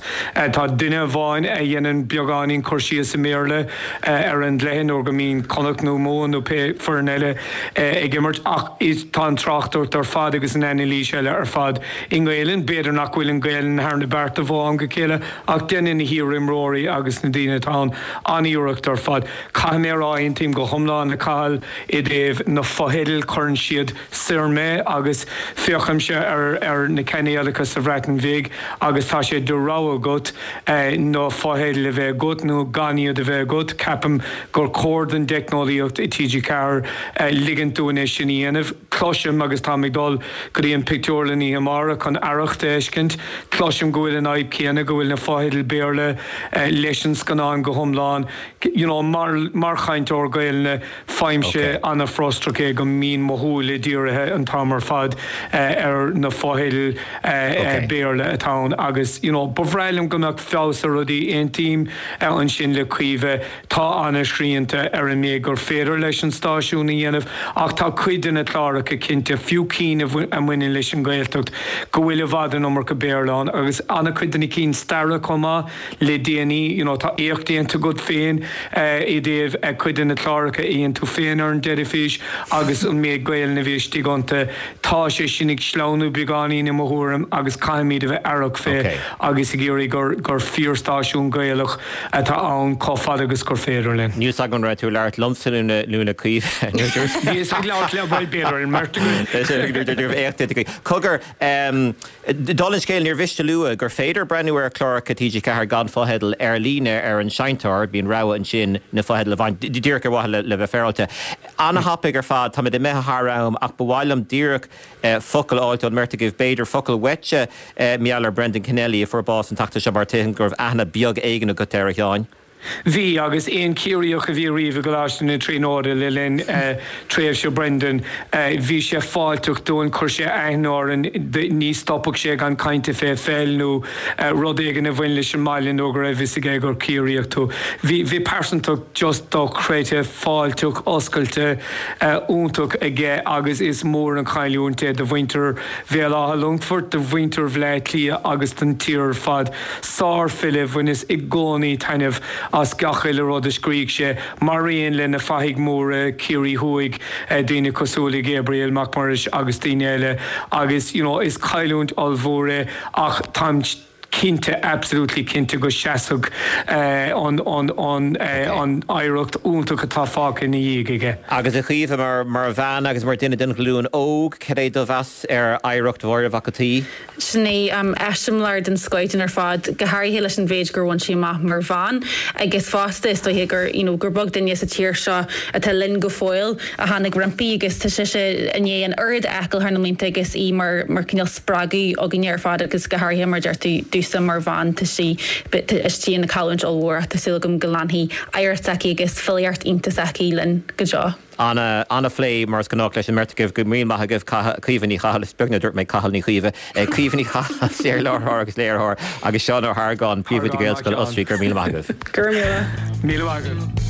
Tá duine amháin a dhéanann beagáinín cur síos i mBéarla ar an gcluiche nuair go mbíonn Connacht nó Mumhan nó pé foireann eile ag imirt ach is tá an tráchtaireacht ar fad agus an anailís eile ar fad i nGaelainn. B'fhéidir nach bhfuil an Ghaelainn thar na bearta ó am go chéile ach déanann na hiar-imreoirí agus na daoine atá ann an-iarracht ar fad. Caithfidh mé a rá, aontaím go hiomlán le Cathal i dtaobh na fotheidil, cuireann siad soir mé agus féachaimse ar na cainéalacha sa Bhreatain Bhig agus tá sé de rogha agat na fotheidil a bheith agat nó gan iad a bheith agat. Ceapaim gur chóir don dteicneolaíocht i TG4 ligint dúinn é sin a dhéanamh. Cloisim, agus táim ag dul go dtí an pictiúrlann oíche amárach chun Arracht a fheiscint, cloisim go bhfuil an fhadhb céanna, go bhfuil na fotheidil Béarla leis an scannán go hiomlán. You know, mar mar chainteoir Gaelainne, faighimse an-fhrustrach é go mbíonn mo shúile dírithe an t-am ar fad ar na fotheidil Béarla atá ann agus, you know, ba bhreá liom go mbeadh feabhas ar rudaí. Aontaím ansin le Caoimhe. Tá an-srianta ar an méid gur féidir leis an stáisiún a dhéanamh ach tá cuid de na cláracha cinnte, fiú cinn a bhaineann leis an Ghaeltacht, go bhfuil i bhfad an iomarca Béarla ann agus an-chuid de na cinn staire chomh maith le déanaí. You know, tá éacht déanta agat féin i dtaobh cuid de na cláracha a dhein tú féin ar an dteilifís agus an méid Gaelainn a bhí istigh iontu. Tá sé sin ag sleamhnú beagáinín i mo thuairim agus caithfimid a bheith aireach fé agus ag iarraidh gur gur fíorstáisiún Gaelach atá ann chomh fada agus gur féidir linn. Níl 's agam an raibh tú ag labhairt liomsa nó le Caoimhe. Bhíos ag labhairt le, bhuel, b'fhéidir an mbeirt againn. Cogar, dála an scéil, níor mhiste a lua gur féidir breathnú ar chláracha TG4 gan fotheidil ar líne ar an seinnteoir, bíonn rogha ansin na fotheidil a bhaint, díreach ar mhaithe le bheith féaráilte. Ana-thapaidh ar fad, táimid imithe thar am ach ba mhaith liom díreach focal a fháilt ón mbeirt agaibh, b'fhéidir focal uaitse, mar gheall ar Brendan Kennelly a fuair bás an tseachtain seo mar tuigim go raibh aithne beag éigin agat air, a Sheáin. Bhí, agus aon Chiarraíoch a bhí riamh i gColáiste na Tríonóide le linn tréimhse Brendan, bhí sé fáilteach dúinn, chuir sé aithne orainn, ní stopfadh sé gan caint fé pheil nó rud éigin a bhain leis an mbaile nó go raibh fhios aige gur Ciarraíoch tú. Bhí, bhí pearsantacht just dochreidte, fáilteach, oscailte, iontach aige agus is mór an chailliúint é do mhuintir Bhéal Átha Longfoirt, do mhuintir Bhleá Cliath agus don tír ar fad. Sár-fhile, bhaineas i gcónaí taitneamh as gach uile rud a scrígh sé, maraon le na fathaigh mhóra Ciarraí Thuaidh, daoine cosúil le Gabriel Mac Muiris agus daoine eile agus you know is cailliúint ollmhór é ach táim cinnte, absolutely cinnte go seasfaidh an an an oidhreacht iontach atá fágtha ina dhiaidh aige. Agus a Chaoimhe, mar mar bhean agus mar duine den ghlúin óg, cad é do mheas ar oidhreacht Mháire Mhac an tSaoi? Sin í eiseamláir den scoith dúinn ar fad, go háirithe leis an mhéid gur bhain sí amach mar bhean agus fosta is dóiche gur you know gur beag duine sa tír seo atá linn go fóill a tháinig roimpi agus tá sise i ndiaidh an oiread a fheiceáil thar na mblianta agus í mar mar cineál spreagadh againne ar fad agus go háirithe mar a deir tú domhsa. domhsa mar bhean tá sí istigh ina cailliúint ollmhór ach tá súil agam go leanfaidh oidhreacht s'aici agus filíocht iontach s'aici linn go deo. Ana, ana-phlé mar is gnách leis an mbeirt agaibh. Go raibh míle maith agaibh, Caoimhe Ní Chathail, is beag nár dúirt mé Cathal Ní Chaoimhe, Caoimhe Ní Chathail, saorláithreoir agus léiritheoir, agus Seán Ó hArgáin, Príomhoide Gaelscoil Osraí. Go raibh míle maith agaibh. Go raibh míle. Míle maith agaibh.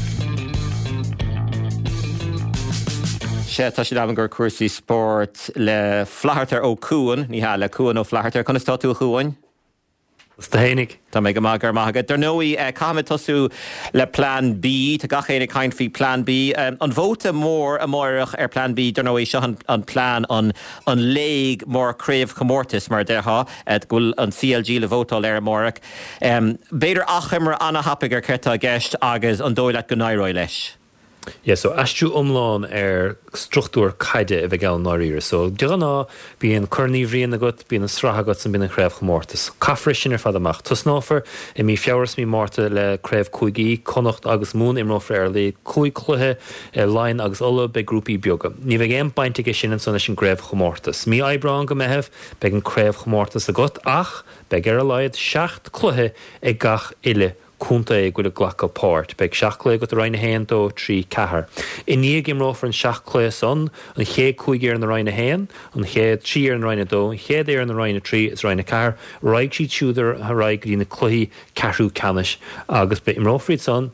Sea, tá sé in am gur cúrsaí spóirt le Flatharta Ó Cuan, ní hea, le Cuan Ó Flatharta. Conas tá tú, a Chuain? Is tú fhéinig. Tá mé go maith, go raibh maith agat. Dar ndóigh, caithfimid tosú le Plean B. Tá gach éinne ag caint faoi Plean B. An vóta mór amáireach ar Plean B, dar ndóigh, seo an plean, an léig mór craobhchomórtais, mar a déarfá, go bhfuil an CLG le vótáil air amáireach. B'fhéidir achoimre ana-thapaidh ar céard tá i gceist agus an dóigh leat go n-éireoidh leis? Yeah, so aistriú iomlán ar struchtúr caide a bheidh ann i ndáiríre. So, de ghnáth, bíonn Corn Uí Bhriain agat, bíonn an sraith agat, 's bíonn an chraobhchomórtas. Caithfear é sin ar fad amach. Tosnófar i mí Feabhra is mí Márta le craobh cúigí, Connacht agus Mumhan imreofar ar a laghad cúig chluiche, Laighean agus Uladh, beidh grúpaí beaga. Ní bheidh aon baint aige sin ansan leis an gcraobhchomórtas. Mí Aibreán go Meitheamh, beidh an craobhchomórtas agat ach beidh ar a laghad seacht cluiche ag gach uile contae a bhfuil ag glacadh páirt. Beidh seacht gcluiche agat i Roinn 1, 2, 3, 4. I ndiaidh imreofar an seacht cluiche san, an chéad cúig fhoireann i Roinn 1, an chéad trí fhoireann i Roinn 2, an chéad fhoireann i Roinn 3 is Roinn 4, raghaidh siad siúd ar aghaidh go dtí na cluichí ceathrú ceannais agus beidh imreofar iad san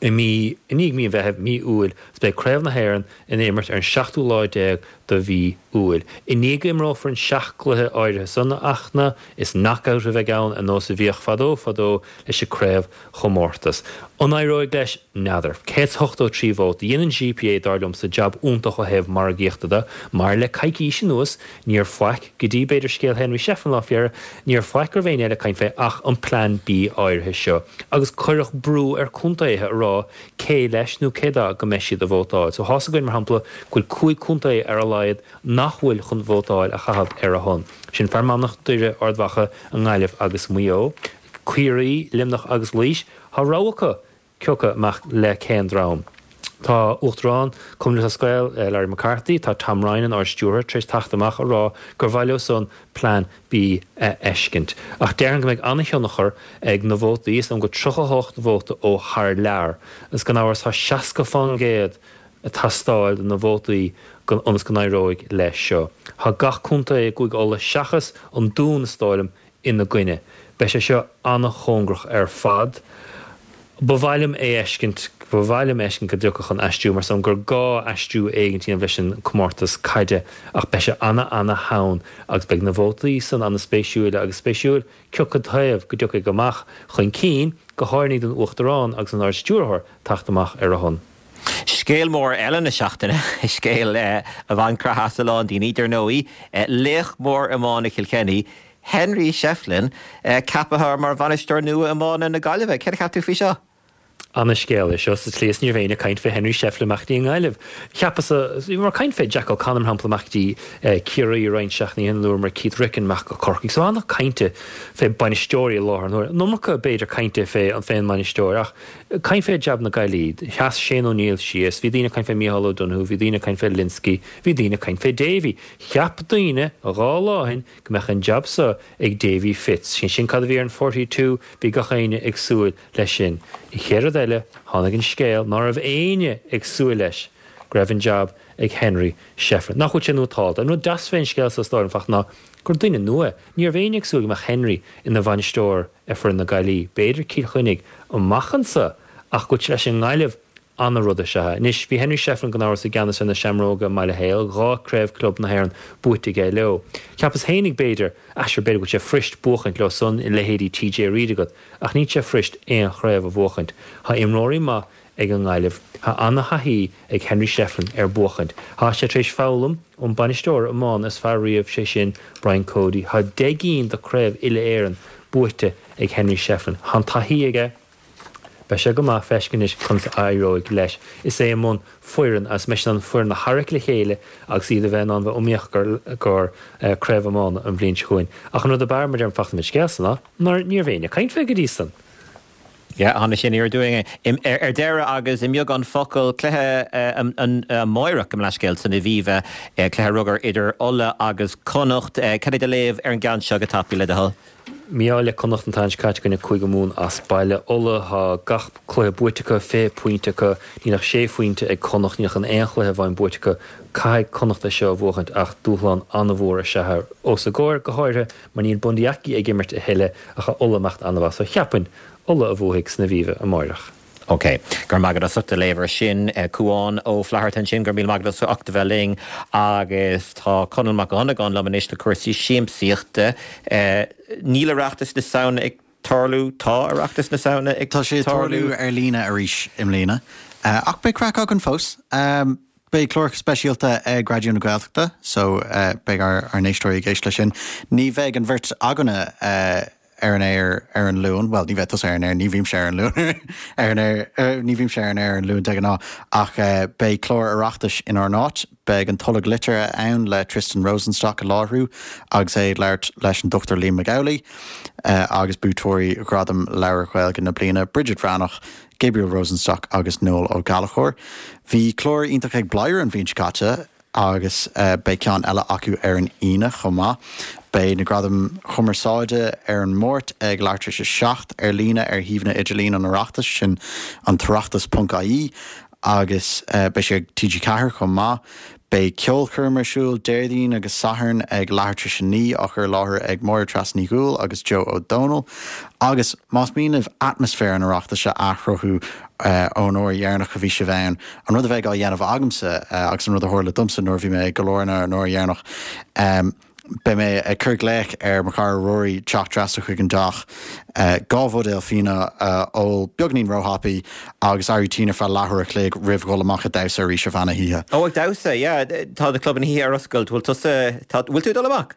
i mí, i ndiaidh mí an Mheithimh, mí Iúil agus beidh Craobh na hÉireann ina imirt ar an seachtú lá déag de mhí Iúil. I ndiaidh go imreofar an seacht gcluiche áirithe san, a Fhachtna, is knock-out a bheidh ann, ar nós a bhíodh fadó fadó leis an craobhchomórtas. An éireoidh leis? N'fheadar. 183 vóta. Dhein an GPA, dar liomsa, jab iontach ó thaobh margaíochta de, mar le coicís anuas, níor faic, go dtí b'fhéidir scéal Henry Shefflin lá faoi dheireadh, níor faic go raibh éinne eile ag caint fé ach an Plean B áirithe seo. Agus cuireadh brú ar contaetha a rá cé leis nó cé do go mbeidh siad a vótáil. So thá's againn, mar shampla, go bhfuil 5 contae ar a laghad nach bhfuil chun vótáil a chaitheamh ar a shon. Sin Fear Manach, Doire, Ard Mhacha, an nGaillimh agus Maigh Eo. Ciarraí, Luimneach agus Laois, tá rogha acu cioca amach le cén dream. Tá Uachtarán Cumann Lúthchleas Gael, Larry McCarthy, tá Tom Ryan, an Ard-Stiúrthóir, tar éis teacht amach a rá gur mhaith leo san Plean B a fheiscint. Ach déarfainn go mbeidh an-thionchar ag na vótaí, is dóigh go 38 vóta ó thar lear, agus gan amhras tá 60 fán gcéad ag teastáil de na vótaí ionas go n-éireoidh leis seo. Tá gach contae i gCúige Uladh seachas an Dún, is dóigh liom, ina gcoinne. Beidh sé seo an-chóngarach ar fad. Ba mhaith liom é fheiscint, ba mhaith liom fheiscint go dtiocfadh an aistriú mar san gur gá aistriú éigin a dhéanamh leis an comórtas caide ach beidh sé ana-ana-theann agus beidh na vótaí san ana-spéisiúil agus spéisiúil cioca taobh go dtiocfaidh amach chun cinn, go háirithe don Uachtarán agus an Ard-Stiúrthóir teacht amach ar a shon. Scéal mór eile na seachtaine, scéal a bhain creathadh as a lán daoine, dar ndóigh, laoch mór iomána Chill Chainnigh, Henry Shefflin, ceaptha mar bhainisteoir nua iomána na Gaillimhe. Céard a cheap tú faoi seo? Ana-scéal é seo sa tslí is ní raibh éinne ag caint fé Henry Shefflin amach go dtí an nGaillimh. Cheapas-sa, bhíomar ag caint fé Jack O'Connor mar shampla amach go dtí Ciarraí roinnt seachtainí ó shin, luamar Keith Ricken amach go Corcaigh. So ana-cainte fé bainisteoirí i láthair an huaire. An iomarca b'fhéidir cainte fé an mbainisteoir ach Caint fé jab na Gaillí. Sheas Shane O'Neill síos, bhí daoine ag caint fé Micheál O'Donoghue, bhí daoine ag caint fé Lynskey, bhí daoine ag caint fé Davy. Cheap daoine dhá lá ó shin go mbeadh an jab so ag Davy Fitz. Sin sin cad a bhí ar an Forty Two, bhí gach éinne ag súil leis sin. An chéad rud eile, tháinig an scéal ná raibh éinne ag súil leis, go raibh an jab ag Henry Shefflin. Nach bhfuil sé nótálta? An rud deas fén scéal so is dóigh liom, Fachtna, ná gur duine nua é. Ní raibh éinne ag súil go mbeadh Henry ina bhainisteoir ar foireann na Gaillí, b'fhéidir Cill Chainnigh amach anso ach go bhfuil sé leis an nGaillimh ana-rud is ea é. Anois, bhí Henry Shefflin gan amhras i gceannas ar na Seamróga i mBaile Héil, dhá craobh club na hÉireann buaite aige leo. Cheapas fhéinig b'fhéidir, ah sure b'fhéidir go bhfuil sé fuirist buachaint leo san, leithéidí TJ Reid agat, ach níl sé fuirist aon chraobh a bhuachaint. Tá imreoirí maith ag an nGaillimh. Tá ana-thaithí ag Henry Shefflin ar buachaint. Tá sé tar éis foghlaim ón bainisteoir iomána is fearr riamh, sé sin Brian Cody. Tá 10 gcinn de craobh uile-Éireann buaite ag Henry Shefflin. Tá an taithí aige. Beidh sé go maith feiscint anois conas a éireoidh leis. Is é i mbun foireann agus mbeidh sé in ann foireann a tharrac le chéile agus iad a bheith in ann bheith iomaíoch do craobh iomána an bhliain seo chugainn. Ach an rud ab fhearr, mar a deirim, Fachtna, fén scéal san ná nár ní raibh éinne ag caint fé go dtí san. Yeah, tháinig sé aniar aduaidh ar deireadh agus i mbeagán focal, cluiche amáireach gabh mo leithscéal san Aviva, cluiche rugair idir Ulaidh agus Connacht. Cad é do léamh ar an gceann seo go tapaidh le do thoil? Mí-ádh le Connacht an tseachtain seo caite i gcoinne Cúige Mumhan as baile. Ulaidh, tá gach cluiche buaite acu, 20 pointe acu. Níl ach sé phointe ag Connacht, níl ach an aon chluiche amháin buaite acu. Caithfidh Connacht é seo a bhuachaint ach dúshlán an-mhór is ea é os a gcomhair, go háirithe mar níl Bundee Aki ag imirt a thuilleadh ach tá Ulaidh ag imeacht an-mhaith. So cheapfainn, Ulaidh a bhuafaidh san Aviva amáireach. Ok. Go raibh maith agat as ucht a léamh air sin. Cúán Ó Flatharta ansin, go raibh míle maith agat as ucht a bheith linn. Agus tá Conall Mac Dhonnagáin liom anois le cúrsaí siamsaíochta. Níl Oireachtas na Samhna ag tarlú? Tá Oireachtas na Samhna ag tarlú? Tá sé ag tarlú ar líne arís i mbliana. Ach beidh craic againn fós. Beidh clár speisialta ag Raidió na Gaeltachta so beidh ár n-éisteoirí ag éisteacht leis sin. Ní bheidh an bheirt againne ar an aer ar an Luan, bhuel, ní bheidh tusa ar an aer, ní bhímse ar an Luan ar an aer, ní bhímse ar an aer ar an Luan de ghnáth, ach beidh clár Oireachtais inár n-áit. Beidh an Tolg Liteartha ann le Tristan Rosenstock ag láithriú agus é ag labhairt leis an Dr Liam Mac Amhlaigh agus buaiteoirí Ghradam Leabhar Gaeilge na Bliana, Bridget Bhreathnach, Gabriel Rosenstock agus Noel Ó Gallchóir. Bhí clár iontach ag Bladhaire an bhliain seo caite agus beidh ceann eile acu ar an Aoine chomh maith. Beidh na Gradaim Chumarsáide ar an Máirt ag leathuair tar éis a 7 ar líne ar shuíomhanna idirlín an Oireachtais, sin an tOireachtas ponc ie, agus beidh sé ag TG4 chomh maith. Beidh ceolchoirm ar siúl Déardaoin agus Satharn ag leathuair tar éis a 9, á chur i láthair ag Máire Treasa Ní Dhubhghaill agus Joe Ó Dónaill. Agus más mian libh atmaisféar an Oireachtais a athchruthú ón uair dheireanach a bhí sibh ann, an rud a bheidh á dhéanamh agamsa agus an rud a tharla domsa nuair a bhí mé i gCill Airne an uair dheireanach, Beidh mé ag cur glaoch ar mo chara Rory teacht trasna chuig an dteach, 2 bhuidéal fíona a ól beagáinín róthapaidh agus éirí tinn ar feadh leathuair a chloig roimh dhul amach ag damhsa arís ar feadh na hoíche. Ó, ag damhsa, yeah. Tá na clubanna oíche ar oscailt. Bhfuil tusa, tá, bhfuil tú ag dul amach?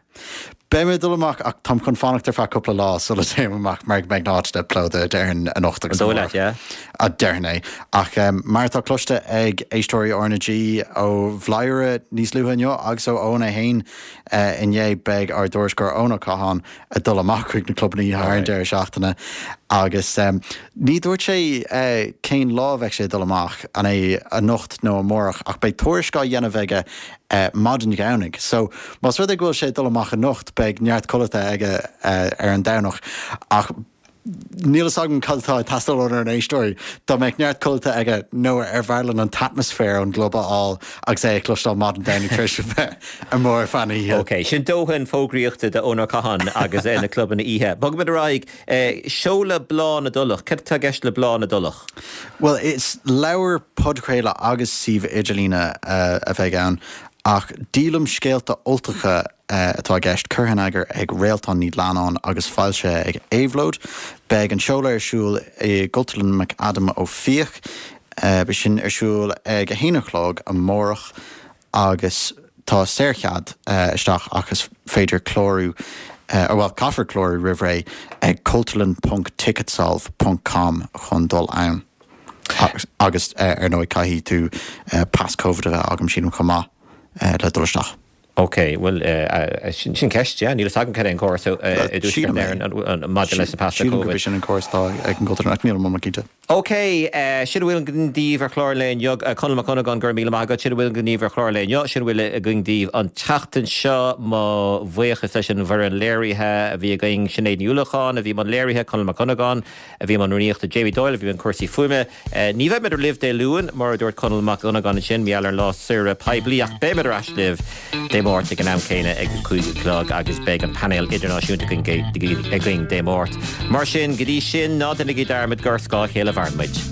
Beidh mé ag dul amach ach táim chun fanacht ar feadh cúpla lá sula dtéim amach mar go mbeidh na háiteanna plódaithe déarfainn anocht agus An dóigh leat, yeah? Déarfainn é. Ach mar atá cloiste ag éisteoirí RnaG ó Bhladhaire níos luaithe inniu agus ó Eoin é féin inné, beidh ár dtuairisceoir Eoin Ó Catháin ag dul amach chuig na clubanna oíche thar an deireadh seachtaine agus ní dúirt sé cén lá a bheidh sé ag dul amach, an é anocht nó amárach, ach beidh tuairisc á dhéanamh aige maidin Dhomhnaigh. So, más rud é go bhfuil sé ag dul amach anocht, beidh neart codlata aige ar an Domhnach. Ach níl fhios agam cad atá ag teastáil ónár n-éisteoirí. Dá mbeadh neart codlata aige nó ar bhfearr linn an t-atmaisféar ón gclub a fháil agus é a chloisteáil maidin Domhnaigh tar éis a bheith amuigh ar feadh na hoíche. Ok, sin dóthain fógraíochta d'Eoin Ó Catháin agus na clubanna oíche. Bogfaimid ar aghaidh. Seoladh Bláth na dTulach. Cad atá i gceist le Bláth na dTulach? Bhuel, is leabhar, podchraoladh agus suíomh idirlíne a bheidh ann, ach díolaim scéalta Ultacha atá i gceist, curtha in eagar ag Réaltán Ní Leannáin agus foilsithe ag Éabhlóid. Beidh an seoladh ar siúl i gCultúrlann McAdam Ó Fiaich. Beidh sin ar siúl ag a haon a chlog amárach. agus tá saorchead isteach ach is féidir clárú, bhuel caithfear clárú roimh ré ag cultúrlann ponc ticketsolve ponc com chun dul ann. Agus ar ndóigh caithfidh tú pas Covid a bheith agam sílim chomh maith le dul isteach. Ok, bhuel sin ceist, yeah, níl fhios agam cad é an córas i dTuaisceart Éireann maidir leis na pasanna Covid. Sílim gurb é sin an córas atá ag an gCultúrlann ach nílim iomlán cinnte. OK, sin a bhfuil againn daoibh ar chlár an lae inniu. Conall Mac Dhonnagáin, go raibh míle maith agat. Sin a bhfuil againn daoibh ar chlár an lae inniu. Sin a bhfuil againn daoibh an tseachtain seo. Mo bhuíochas leis an bhfoireann léirithe a bhí againn, Sinéad Ní Uallacháin a bhí i mbun léirithe, Conall Mac Dhonnagáin a bhí i mbun rúnaíochta, Jamie Doyle a bhí i mbun cúrsaí fuaime. Ní bheimid libh Dé Luain, mar a dúirt Conall Mac Dhonnagáin ansin, mar gheall ar an lá saoire poiblí, ach beimid ar ais libh Dé Máirt ag an am céanna ag a 5 a chlog agus beidh an painéal idirnáisiúnta againn Dé Máirt. Mar sin, go dtí sin, ná déanaigí dearmad gur ar scáth a chéile a mhaireann muid.